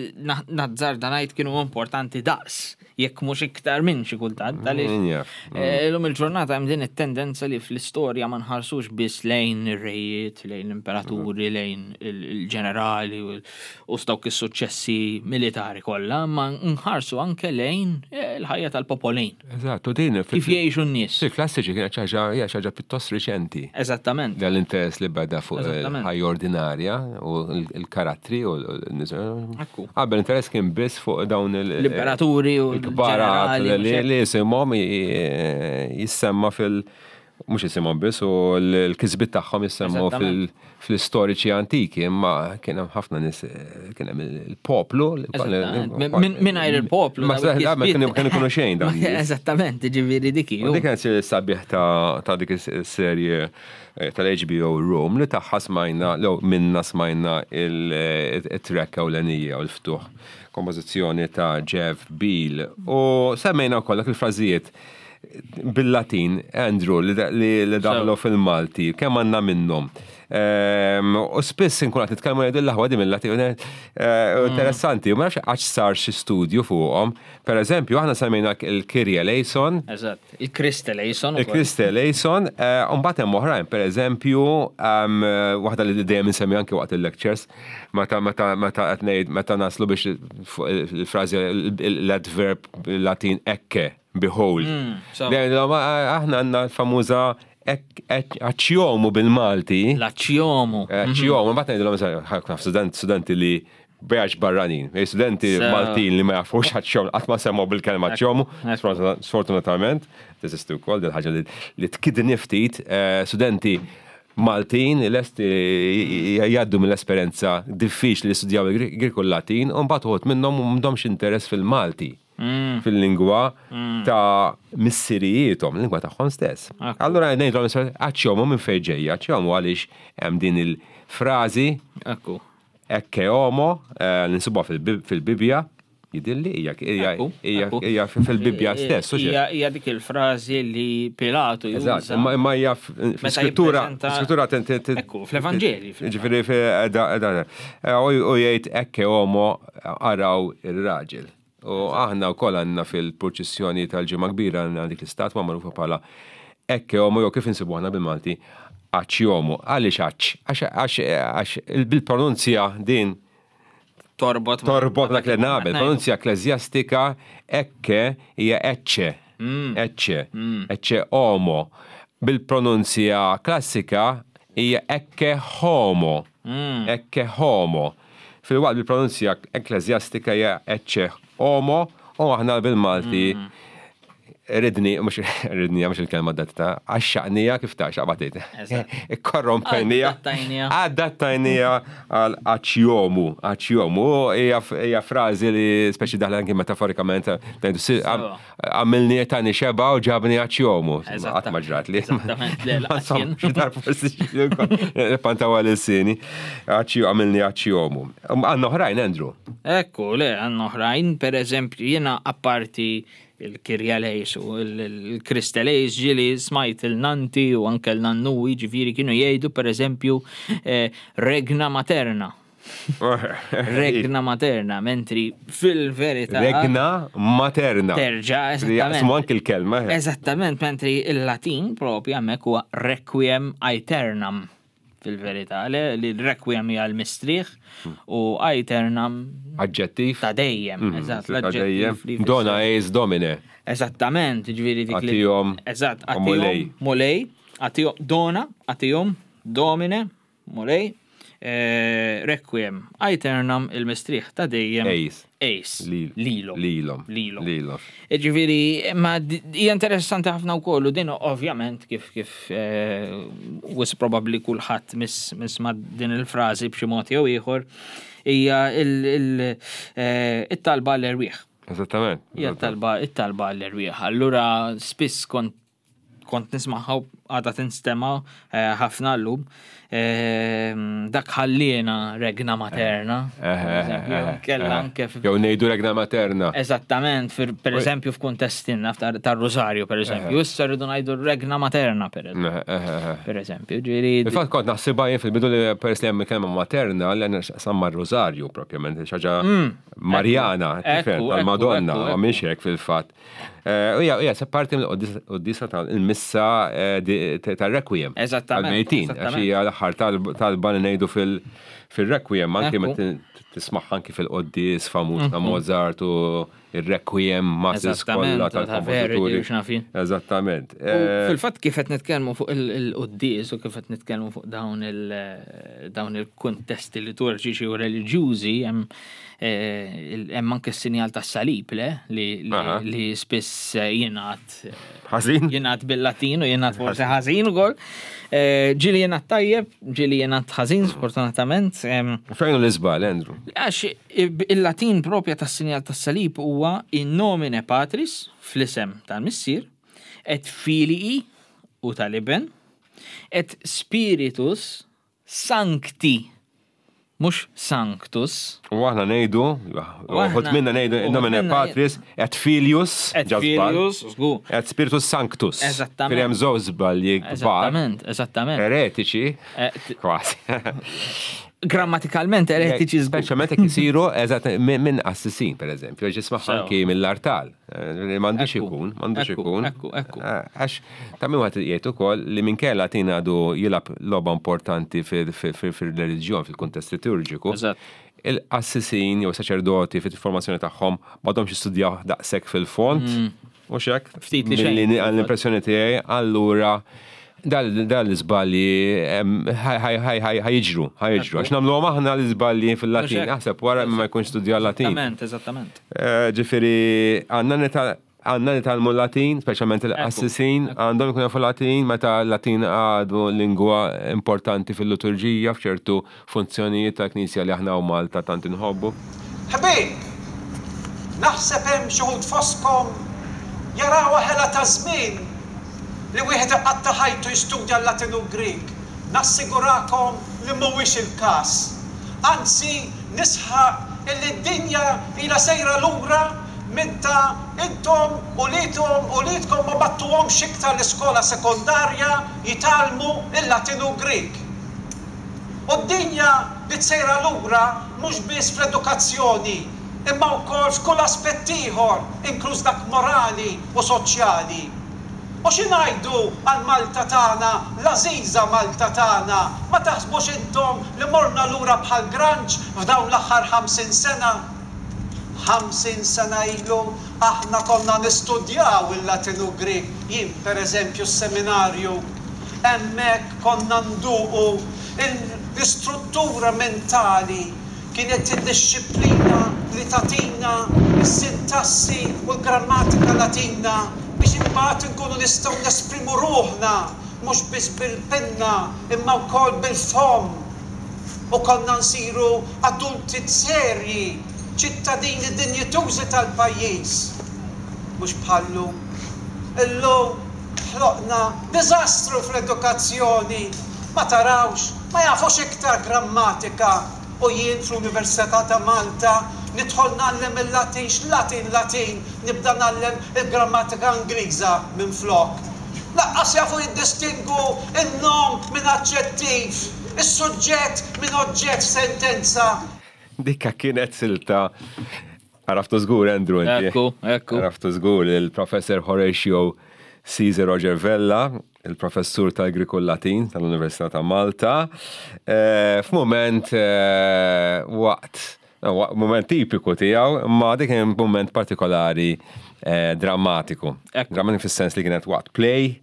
nazzarda ngħid kienu importanti daqs jekk mhux iktar minn xi kultant, għaliex eh, illum il-ġurnata hemm din it-tendenza li fl-istorja ma nħarsux biss lejn ir-rejiet, lejn l-imperaturi, lejn il-ġenerali u dawk is-suċċessi militari kollha, ma nħarsu anke lejn eh, l-ħajja tal-popolin. Eżatt, u din kif jgħixu n-nies. Fil-klassiċi kienet xi ħaġa hija xi ħaġa pjuttost riċenti. Eżattament. Dan l-interess li beda fuq il-ħajja ordinarja u l-karattri u l-nies. Qabel interess kien biss fuq dawn il- L-imperaturi u l-kbarat li jisimhom jissemma fil- mhux jisimhom biss u l-kisbiet tagħhom jissemmu fl-istoriċi antiki, imma kien hemm ħafna nies kien hemm il-poplu. Mingħajr il-poplu. Ma kienu kienu xejn dan. Eżattament, ġifieri dik. U dik kienet sabiħ ta' dik is-serje eh, tal-HBO Rome li tagħha smajna, lew minna smajna il-track ewlenija u l-ftuħ kompożizzjoni ta' Jeff Beal. U semmejna wkoll dak il-frażijiet bil-Latin, Andrew, li daħlu fil-Malti, kemm għandna minnhom. Ehm, u spiss inkun qed nitkellmu jgħidu l-aħwa di mill-Latin. Eh, interessanti, u ma nafx għax sar xi studju fuqhom. Per eżempju, aħna semmejna il-Kyrie eleison. Eżatt, il-Christe eleison. Il-Christe eleison, eh, u mbagħad hemm oħrajn, per eżempju, ehm, waħda li dejjem insemmi anke waqt il-lectures, meta meta meta qed ngħid meta naslu biex il-frażi l-adverb Latin ecce behold. Mm, aħna għandna l-famuża aċjomu bil-Malti. L-aċjomu. Aċjomu, mbagħad ngħidilhom ħafna studenti li biex barranin, eh, studenti Maltin li ma jafux aċjomu, qatt ma semgħu bil-kelma aċjomu, sfortunatament, teżisti wkoll dil ħaġa li tkidni ftit, eh, studenti Maltin lesti jgħaddu mill-esperjenza diffiċli li studjaw il-Grieg u l-Latin, u mbagħad uħud minnhom m'għandhomx interess fil-Malti. Mm. fil-lingwa mm. ta' missirijiethom, lingwa tagħhom stess. Allura ngħidlhom aċċjomu minn fejn ġejja, aċċjomu għaliex hemm din il-frażi. Ekku. Ecce homo, eh, ninsibuha fil-Bibbja, jidilli hija hija fil-Bibbja stess. Hija dik il-frażi li Pilatu juża. Imma hija fl-iskrittura, skrittura Ekku, fl-Evanġeli. Ġifieri eh, u jgħid ecce homo araw ir-raġel. U aħna wkoll għandna fil-purċissjoni tal-Ġimgħa Kbira għandna dik l-istatwa magħrufa bħala Ecce Homo jew kif insibu aħna bil-Malti Aċċ Homo. Għaliex aċċ? Għax għax bil-pronunzja din torbot torbot dak li nagħmel, pronunzja ekkleżjastika ecce hija ecce. Mm. Ecce. Mm. Ecce homo. Bil-pronunzja klassika hija ecce homo. Mm. Ecce homo. Filwaqt li l-pronunzja ekkleżjastika hija ecce homo u aħna bil-Malti mm. ridni, mux ridni, mux il-kelma adatta, għaxxaqnija kif ta' xaqbatit. Korrompejnija. Adattajnija għal aċjomu, aċjomu, hija frażi li speċi daħla anki metaforikament, Għamilni tani xeba u ġabni għaċjomu. Qatt ma ġrat li. Xi forsi pantaw għal il-sini. Għamilni għaċjomu. Għandna oħrajn, Andrew. Ekku, le, għandna oħrajn, per eżempju, jiena apparti il-Kirjalejs u il-Kristelejs ġili smajt il-nanti u anke l-nannuwi ġifiri kienu jgħidu per eżempju eh, regna materna. Regna materna, mentri fil-verità. Regna materna. Terġa, eżattament. Jaqsmu anki l-kelma. Eh. Eżattament, mentri il-Latin propju hemmhekk huwa requiem aeternam fil-verità, li l-requiem hija l-mistrieħ u aeternam. Aġġettiv. Ta' dejjem, mm, eżatt, l-aġġettiv. Dona eis domine. Eżattament, ġifieri dik li. Għatihom. Eżatt, għatihom. Mulej. Għatihom, dona, għatihom, domine, Mulej, Requiem aeternam il-mistrieħ ta' dejjem. Eis. Eis. Lilhom. Lilhom. Lilhom. Ġifieri, ma hija interessanti ħafna wkoll u din ovvjament kif kif wis probabbli kulħadd miss ma' din il-frażi b'xi mod jew ieħor hija il-talba għall-erwieħ. Eżattament. Hija t-talba it-talba għall-erwieħ. Allura spiss kont kont nismagħha għadha tinstema' ħafna llum. Dak ħalliena regna materna. Kella anke. Jew ngħidu regna materna. Eżattament, per eżempju f'kuntesti naf tar-Rosario per eżempju. Issa rridu ngħidu regna materna per eżempju. Ġieli. Fil-fatt kont naħsibha jien fil-bidu li peress li hemm kelma materna li għandna x'taqsam mar-Rosario propjament, xi ħaġa mm. Marjana, tal-Madonna, ma mhix hekk fil-fatt. Eh, u hija se parti mill-qoddisa tal-missa eh, tal-Requiem. Eżattament. Tal-mejtin, għax hija l-aħħar talba li ngħidu fil-Requiem, anki meta tismagħha anki fil-qoddis famuż ta' mhm. Mozart u il-Requiem masses kollha tal-kompożituri. Eżattament. Eh, fil-fatt kif qed nitkellmu fuq il-qoddis u kif qed nitkellmu fuq dawn il-kuntesti liturġiċi u reliġjużi hemm Eh, hemm anke s-sinjal tas-salib le li spiss eh, jingħad eh, ħażin. Jingħad bil-Latin u jingħad forsi ħażin ukoll. Ġieli jingħad tajjeb, ġieli jingħad ħażin sfortunatament. Fejn l-iżbal, Andrew? Għax il-Latin propja tas-sinjal tas-salib huwa in nomine Patris fl-isem tal-Missier, et filii u tal-Iben, et spiritus sancti mhux sanctus. U aħna ngħidu, uħud minna ngħidu in nomine Patris et Filius, et Filius, żgur. Et Spiritus Sanctus. Eżattament. Hemm żewġ żbalji kbar. Eżattament, eżattament. Eretiċi, eh, kważi. Grammatikalment eretiċi żgur. Speċjalment jekk isiru eżatt minn qassisin, pereżempju, ġisma' anki mill-artal. Eh, m'għandux ikun, m'għandux ikun. Ekku, ekku. Eh, għax ta' min wieħed jgħid ukoll li minkejja Latin għadu jilgħab logħba importanti fil-reliġjon, fil-kuntest liturġiku. Il-qassisin jew saċerdoti fit-formazzjoni tagħhom m'għadhomx jistudjaw daqshekk fil-fond. Mm. U xek? Ftit li xejn. L-impressjoni tiegħi allura dal-iżbalji ħajġru, ħajġru. Għax nagħmluhom aħna l-iżbalji fil-Latin, aħseb wara ma jkunx studja l-Latin. Eżattament, eżattament. Eh, ġifieri għandna nitgħallmu l-Latin, speċjalment il-qassisin għandhom ikunu jafu Latin meta l-Latin għadu lingwa importanti fil-liturġija f'ċertu funzjonijiet tal-Knisja li aħna u Malta tant inħobbu. Ħbieb, naħseb hemm xi wħud fostkom jarawha ħela ta' żmien li wieħed iqatta' ħajtu jistudja l-Latin u l-Grieg. Nassigurakom li mhuwiex il-każ. Anzi, nisħaq illi d-dinja ilha sejra lura meta intom uliedhom uliedkom ma bagħtuhomx iktar l-iskola sekondarja jitgħallmu l-Latin u l-Grieg. U d-dinja bdiet sejra lura mhux biss fl-edukazzjoni imma wkoll f'kull aspett ieħor inkluż dak morali u soċjali. U xi ngħidu għal Malta tagħna, l-għażiża Malta tagħna, ma taħsbux intom li morna lura bħal granċ f'dawn l-aħħar 50 sena? 50 sena ilu aħna konna nistudjaw il-Latin u Grieg, jien per eżempju s-seminarju. Hemmhekk konna nduqu l-istruttura mentali Kienet id-dixxiplina li tagħtina s-sintassi u l-grammatika Latina biex imbagħad inkunu nistgħu nesprimu ruħna mhux biss bil-pinna imma wkoll bil-fomm. U konna nsiru adulti serji, ċittadini dinjitużi tal-pajjiż. Mhux bħal-lum. Illum ħloqna diżastru fl-edukazzjoni. Ma tarawx, ma jafux iktar grammatika. U jien fl-Università ta' Malta nidħol ngħallem il-Latin, x'Latin Latin, nibda ngħallem il-grammatika Ingliża minflok. Lanqas jafu jiddistingwu n-nom minn aġġettiv, is-suġġett minn oġġett f'sentenza. Dikka kienet silta Għaraftu żgur, Andrew, inti. Ekku, ekku. Għaraftu żgur il-Professor Horatio Caesar Roger Vella, il-professur tal-Griku Latin tal-Università ta' Malta. Eh, f'mument eh, waqt, eh, moment tipiku tiegħu, ma dik kien moment partikolari drammatiku. Drammatiku fis-sens li kienet waqt play,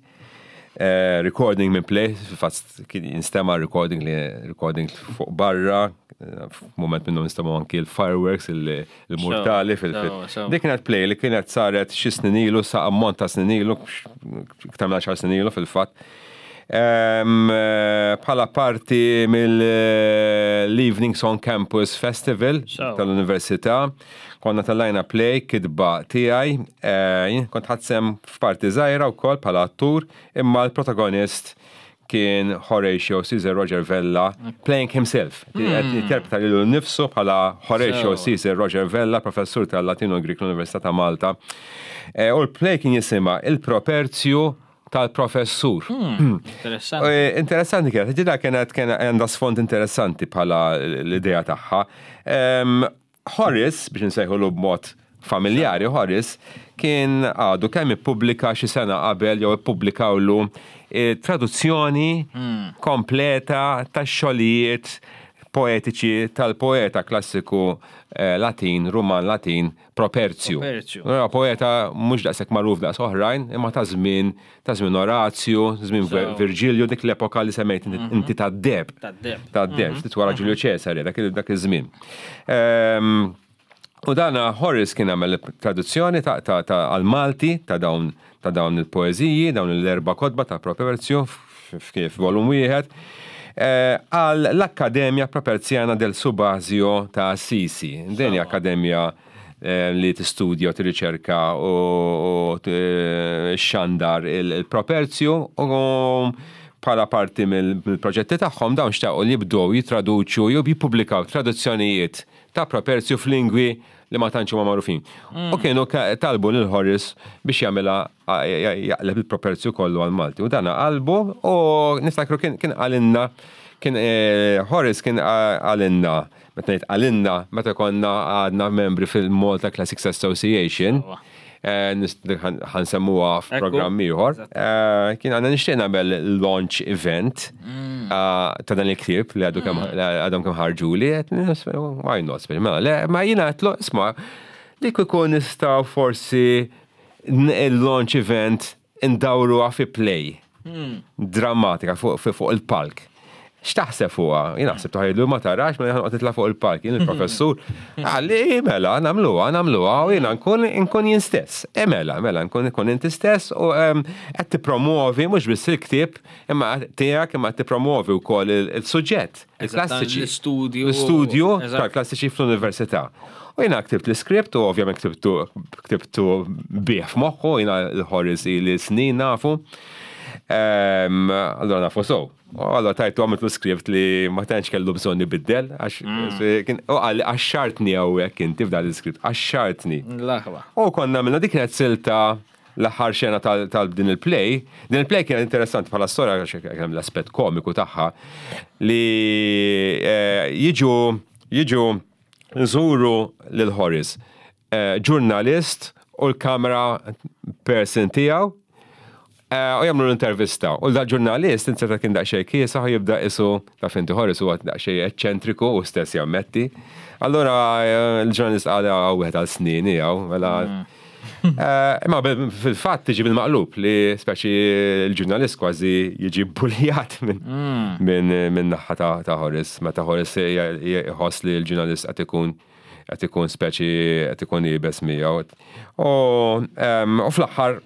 recording minn play, fil-fatt kien jinstema' recording li recording fuq barra, f'mument minnhom nistema' anki l-fireworks, il-mortali fil Dik kienet play li kienet saret xi snin ilu, sa ammont ta' snin ilu, iktar minn 10 snin ilu fil-fatt. Bħala parti mill-Evenings on Campus Festival tal-Università, konna tellajna play kitba tiegħi, eh, kont ħadt sehem f'parti żgħira wkoll bħala attur, imma l-protagonist kien Horatio Caesar Roger Vella playing himself. Interpreta lilu nnifsu bħala Horatio Caesar Roger Vella, professur tal-Latino Greek l-Università ta' Malta. Eh, u l-play kien jisimha Il-Properzju tal-professur. Interessanti. Eh, interessanti kienet, ġida kienet kien għandha sfond interessanti bħala l-idea tagħha. Horace, biex nsejħulu b'mod familjari, Horace kien għadu kemm ippubblika xi sena qabel jew ippubblikawlu eh, traduzzjoni kompleta tax-xogħlijiet poetiċi tal-poeta klassiku eh, Latin, Ruman Latin, Properzju. Properzju. Huwa poeta mhux daqshekk magħruf daqs oħrajn, imma ta' żmien ta' żmien Orazju, żmien Virġilju, dik l-epoka li semmejt inti tad-deheb. Tad-deheb. Tad-deheb, ftit wara Ġulju Ċesare, dak iż-żmien. U dana Horace kien għamel traduzzjoni għal-Malti ta' dawn ta' dawn il-poeżiji, dawn l-erba' kotba ta' Properzju f'volum wieħed, għal l-Akkademja Properzjana del Subasio ta' Assisi. Din hija akkademja li tistudja u tirriċerka u xxandar il-Properzju u bħala parti mill-proġetti tagħhom dawn xtaqu li jibdew jittraduċu jew jippubblikaw traduzzjonijiet ta' Properzju f'lingwi li ma tantx huma magħrufin. U kienu talbu lil Horace biex jagħmilha jaqleb il-Properzju kollu għall-Malti. U dana qalbu u niftakru kien qalilna kien Horace kien qalilna Meta ngħid qalilna, meta konna għadna membri fil-Malta Classics Association, ħa nsemmuha f'programm ieħor, kien għandna nixtieq nagħmel launch event ta' dan il-ktieb li għadu kemm għadhom kemm ħarġuli, why not, mela, le, ma jiena għedtlu, isma' li kieku nistgħu forsi il-launch event indawruha fi play drammatika fuq il-palk. X'taħseb fuqha? Jien naħseb taħidlu ma tarax ma noqgħod nitla' fuq il-palk. Jien il-professur qalli mela nagħmluha, nagħmluha u jiena nkun nkun jien stess. E mela, mela nkun nkun inti stess u qed tippromuovi mhux biss il-ktieb imma tiegħek imma qed tippromuovi wkoll il-suġġett, il-klassiċi. L-istudju. L-istudju tal-klassiċi fl-università. U jiena ktibt l-iskript u ovvjament ktibtu ktibtu bih f'moħħu, jiena l-Horace ili snin nafu. Allora nafu so. U allora tajtu għamiltu skript li ma tantx kellu bżonn ibiddel, għax kien u qal għaxxartni hawnhekk inti f'dan l-iskript, għaxxartni. L-aħwa. U konna għamilna dik kienet silta l-aħħar xena tal din il-play. Din il-play kienet interessanti bħala storja għax kien hemm l-aspett komiku tagħha li jiġu jiġu nżuru lil Horace, ġurnalist u l-kamera person tiegħu u jagħmlu l-intervista. U dal-ġurnalist inzerta kien daqsxejn kiesaħ u jibda isu taf inti Horace huwa daqsxejn eċċentriku u stess jammetti. Allura l-ġurnalist qal hawn wieħed għal snin jew mela Imma fil-fatt tiġi bil-maqlub li speċi l-ġurnalist kważi jiġi buljat minn naħa ta' Horace, meta Horace jħoss li l-ġurnalist qed ikun qed ikun speċi qed ikun iebes miegħu. U fl-aħħar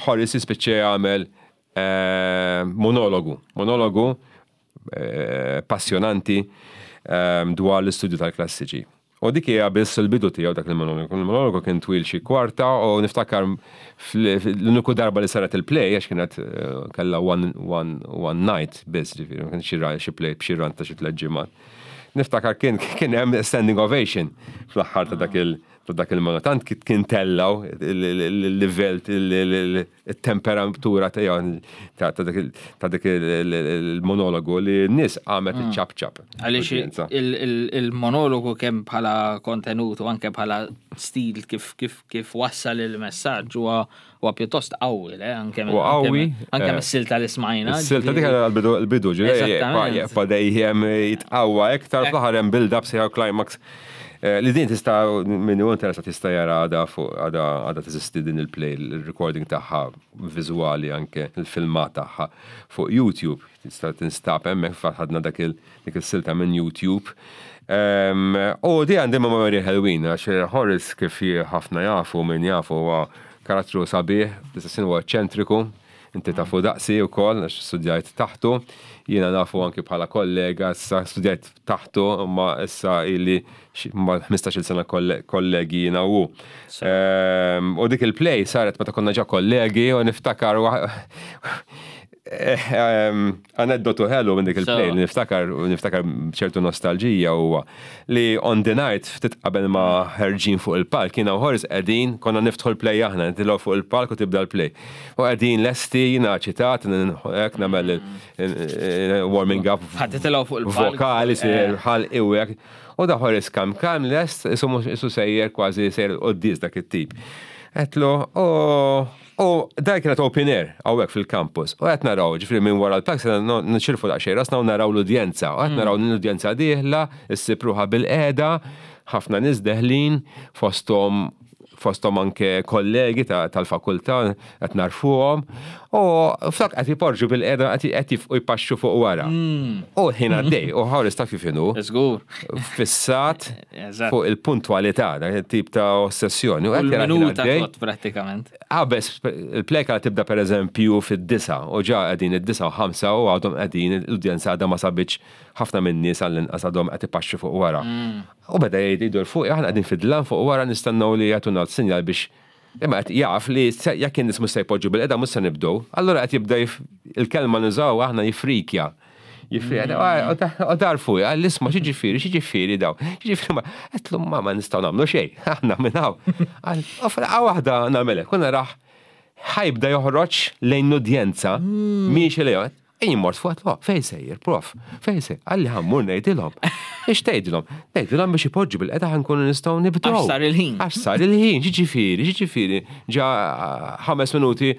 Horace jispiċċa jagħmel monologu, monologu passjonanti dwar l-istudju tal-klassiċi. U dik hija biss il-bidu tiegħu dak il-monologu. Il-monologu kien twil xi kwarta u niftakar l-uniku darba li saret il-play għax kienet kellha one, one, one night biss, ġifieri, ma kienx xi play b'xi run ta' xi tliet ġimgħat. Niftakar kien kien hemm standing ovation fl-aħħar ta' dak il ta' dak il-monologu. Tant kien tellgħu il-livell it-temperatura tiegħu ta' dik il-monologu li n-nies qamet iċċapċap. Għaliex il-monologu kemm bħala kontenut u anke bħala stil kif wassal il-messaġġ huwa pjuttost qawwi, le? Anke qawwi. Anke mis-silta li smajna. Is-silta dik għall-bidu ġifieri jibqa' dejjem jitqawwa iktar fl-aħħar hemm build-up sejħa climax. Li din tista' min hu interessat jista' jara għadha fuq għadha għadha teżisti din il-play, il-recording tagħha viżwali anke il-filmat tagħha fuq YouTube. Tista' tinstab hemmhekk fatt ħadna dak il dik is-silta minn YouTube. U di għandi memorji ħelwin għax Horace kif ħafna jafu min jafu huwa karattru sabiħ, fl-istess ħin huwa eċċentriku. Inti tafu daqsi wkoll għax studjajt taħtu. Jiena nafu anki bħala kollega, issa studjajt taħtu, imma issa ili ma' 15-il sena kollegi jiena u hu. U dik il-play saret meta konna ġa kollegi u niftakar Aneddotu ħelu minn dik il-play li niftakar u niftakar ċertu nostalġija huwa li on the night ftit qabel ma ħerġin fuq il-palk jiena u Horace qegħdin konna niftħu l-play aħna nitilgħu fuq il-palk u tibda l-play. U qegħdin lesti jiena ċitat hekk nagħmel warming up. Ħadd titilgħu fuq il-palk. Vokali sir ħalqi u hekk. U da Horace kam kam lest isu sejjer kważi sejjer il-quddies dak it-tip. Għedtlu, U dan kienet open air hawnhekk fil-campus. U qed naraw, ġifieri minn wara l-palk se nixirfu daqsxejn rasna u naraw l-udjenza. U qed naraw l-udjenza dieħla, issib ruħha bil-qiegħda, ħafna nies deħlin, fosthom fosthom anke kollegi tal-fakultà qed narfuhom. U flok qed jporġu bil-qiegħda qed jifqu jpaxxu fuq wara. U l-ħin għaddej, u ħares taf kif inhu. Żgur. Fissat fuq il-puntwalità, dak it-tip ta' ossessjoni. U qed minuta prattikament. Qabeż il-pleka tibda pereżempju fid-disgħa u ġa qegħdin id-disgħa u ħamsa u għadhom qegħdin l-udjenza għadha ma sabitx ħafna min-nies għall-inqas għadhom qed ipaxxu fuq wara. U beda jgħid idur fuqi aħna qegħdin fid-dlam fuq wara nistennew li jagħtuna s-sinjal biex imma qed jaf li jekk in-nies mhux se jpoġġu bilqiegħda mhux se nibdew. Allura qed jibda il-kelma nużaw aħna jifrikja. Jifieri, u dar fuqi, għal isma' x'jiġifieri, x'jiġifieri daw. X'jiġifieri ma, għedtlu ma ma nistgħu nagħmlu xejn, aħna minn hawn. Qal, u f'daqqa waħda nagħmel hekk, u narah ħa jibda joħroġ lejn l-udjenza, miexi lejhom. Jien mort fuq għedtlu, fejn sejjer, prof, fejn sejjer? Qalli ħa mmur ngħidilhom. Ix tgħidilhom? Ngħidilhom biex ipoġġu bil-qeda ħa nkunu nistgħu nibdew. Għax sar il-ħin. Għax sar il-ħin, x'jiġifieri, x'jiġifieri, ġa ħames minuti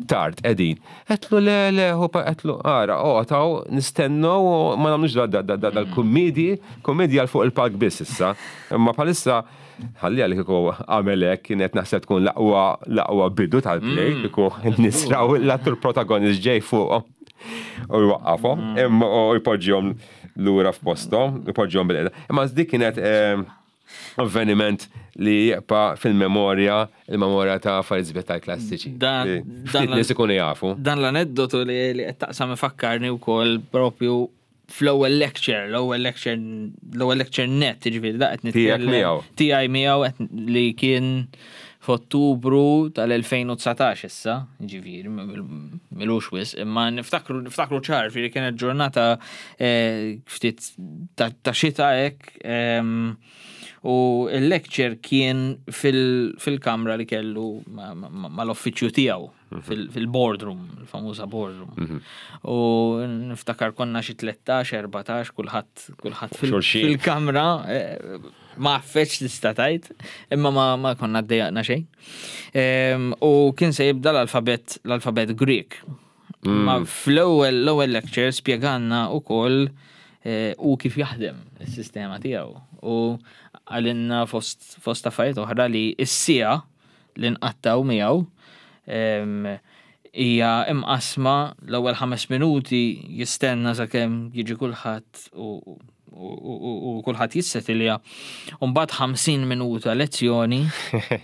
tard qegħdin. Għedtlu le, le, hu għedtlu ara, oqgħod hawn nistennew u ma nagħmlux dal-kummedji, kummedji għal fuq il-palk biss issa. Imma bħalissa ħalliha li kieku għamel hekk kienet naħseb tkun l-aqwa l-aqwa bidu tal-play, mm. kieku n-nies raw l-attur protagonist ġej fuqhom u jwaqqafhom, mm. imma u jpoġġihom lura f'posthom, jpoġġihom bil-qeda. Imma dik kienet eh, avveniment li jibqa' fil-memorja, il-memorja ta' affarijiet sbieħ tal-klassiċi. Dan dan nies ikunu jafu. Dan l-aneddotu li qed taqsam ifakkarni wkoll propju fl-ewwel lecture, l-ewwel lecture, l-ewwel lecture net, jiġifieri da qed nitkellem. Tiegħek miegħu. Tiegħi miegħu li kien f'Ottubru tal-2019 issa, ġifieri, milux wis, imma niftakru niftakru ċar, ġifieri kienet ġurnata eh, ftit ta' xita hekk, U il-lecture kien fil-kamra li kellu mal-uffiċċju tiegħu, mhm. fil-boardroom, il-famuża boardroom. Mhm. U niftakar konna xi 13, 14, kulħadd kulħadd fil-kamra eh, ma affeċ tista' tgħid, imma ma konna ddejjaqna xejn. U kien se jibda l-alfabet l-alfabet Greek. Ma fl-ewwel l-ewwel lecture spjegalna wkoll eh, u kif jaħdem is-sistema tiegħu. U għalinna fost, fost affarijiet oħra li s-siegħa li nqattaw miegħu hija imqasma l-ewwel ħames minuti jistenna sakemm jiġi kulħadd u u kulħadd jissetilja, u mbagħad 50 minuta lezzjoni,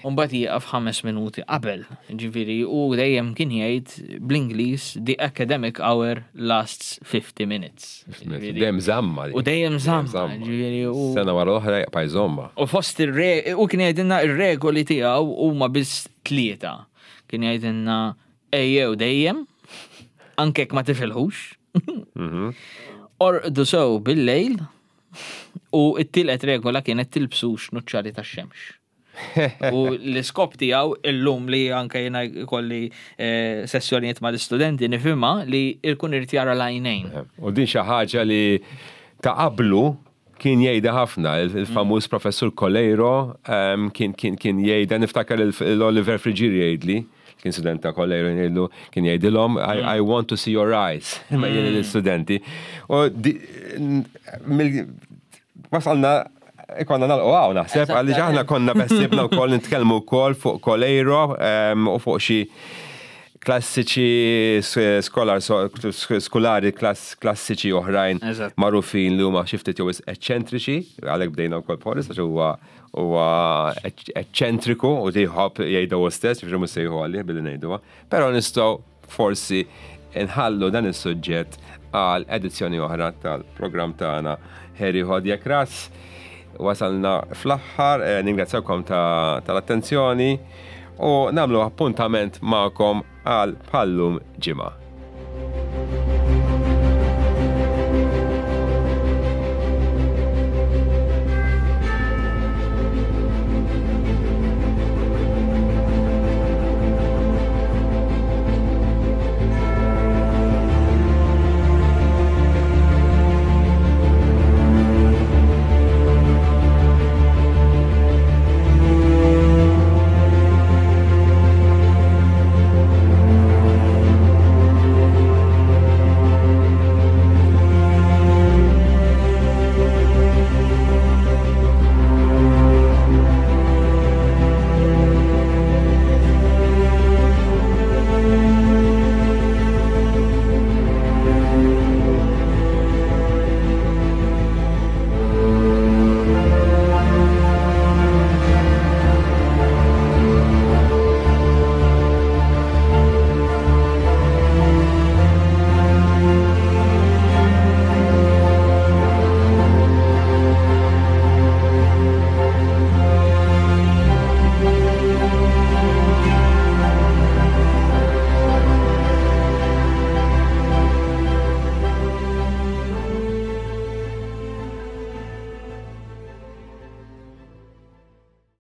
u mbagħad jieqaf ħames minuti qabel. Ġifieri u dejjem kien jgħid bl-Ingliż the academic hour lasts 50 minutes. Dejjem żamma. U dejjem żamma. Ġifieri u Sena wara l-oħra jaqpa' jżommha. U fost ir-re u kien jgħidilna r-regoli tiegħu huma biss tlieta. Kien jgħidilna ejjew dejjem, anke jekk ma tifilħux. Mhm. Orqdu sew bil-lejl u t-tielet regola kienet tilbsux nuċċali tax-xemx. U l-iskop tiegħu illum li anke jiena jkolli eh, sessjonijiet mal-istudenti nifhimha li jkun irid jara l-għajnejn. Eh, u din xi ħaġa li ta' qablu kien jgħidha ħafna, il-famuż professur Coleiro ehm, kien kien kien jgħidha, niftakar l-Oliver Friggieri jgħidli, kien student ta' Coleiro jgħidlu, kien jgħidilhom, I, I want to see your eyes, ma jien l-istudenti. U wasalna ikonna nalqu għaw naħseb, għalli aħna konna bessibna u koll nitkellmu wkoll fuq Coleiro ehm, u fuq xi klassiċi skolar skolari klassiċi oħrajn magħrufin li huma xi ftit jew eċċentriċi, għalhekk bdejna wkoll b'Horace għax huwa huwa eċċentriku u jħobb jgħidha hu stess, jiġifieri mhux se jieħu għalih billi ngħiduha. Però nistgħu forsi nħallu dan is-suġġett għal edizzjoni oħra tal-programm tagħna Harry Hodjek Ras. Wasalna fl-aħħar, eh, ningrazzjakom tal-attenzjoni u nagħmlu appuntament magħkom għal bħallum ġimgħa.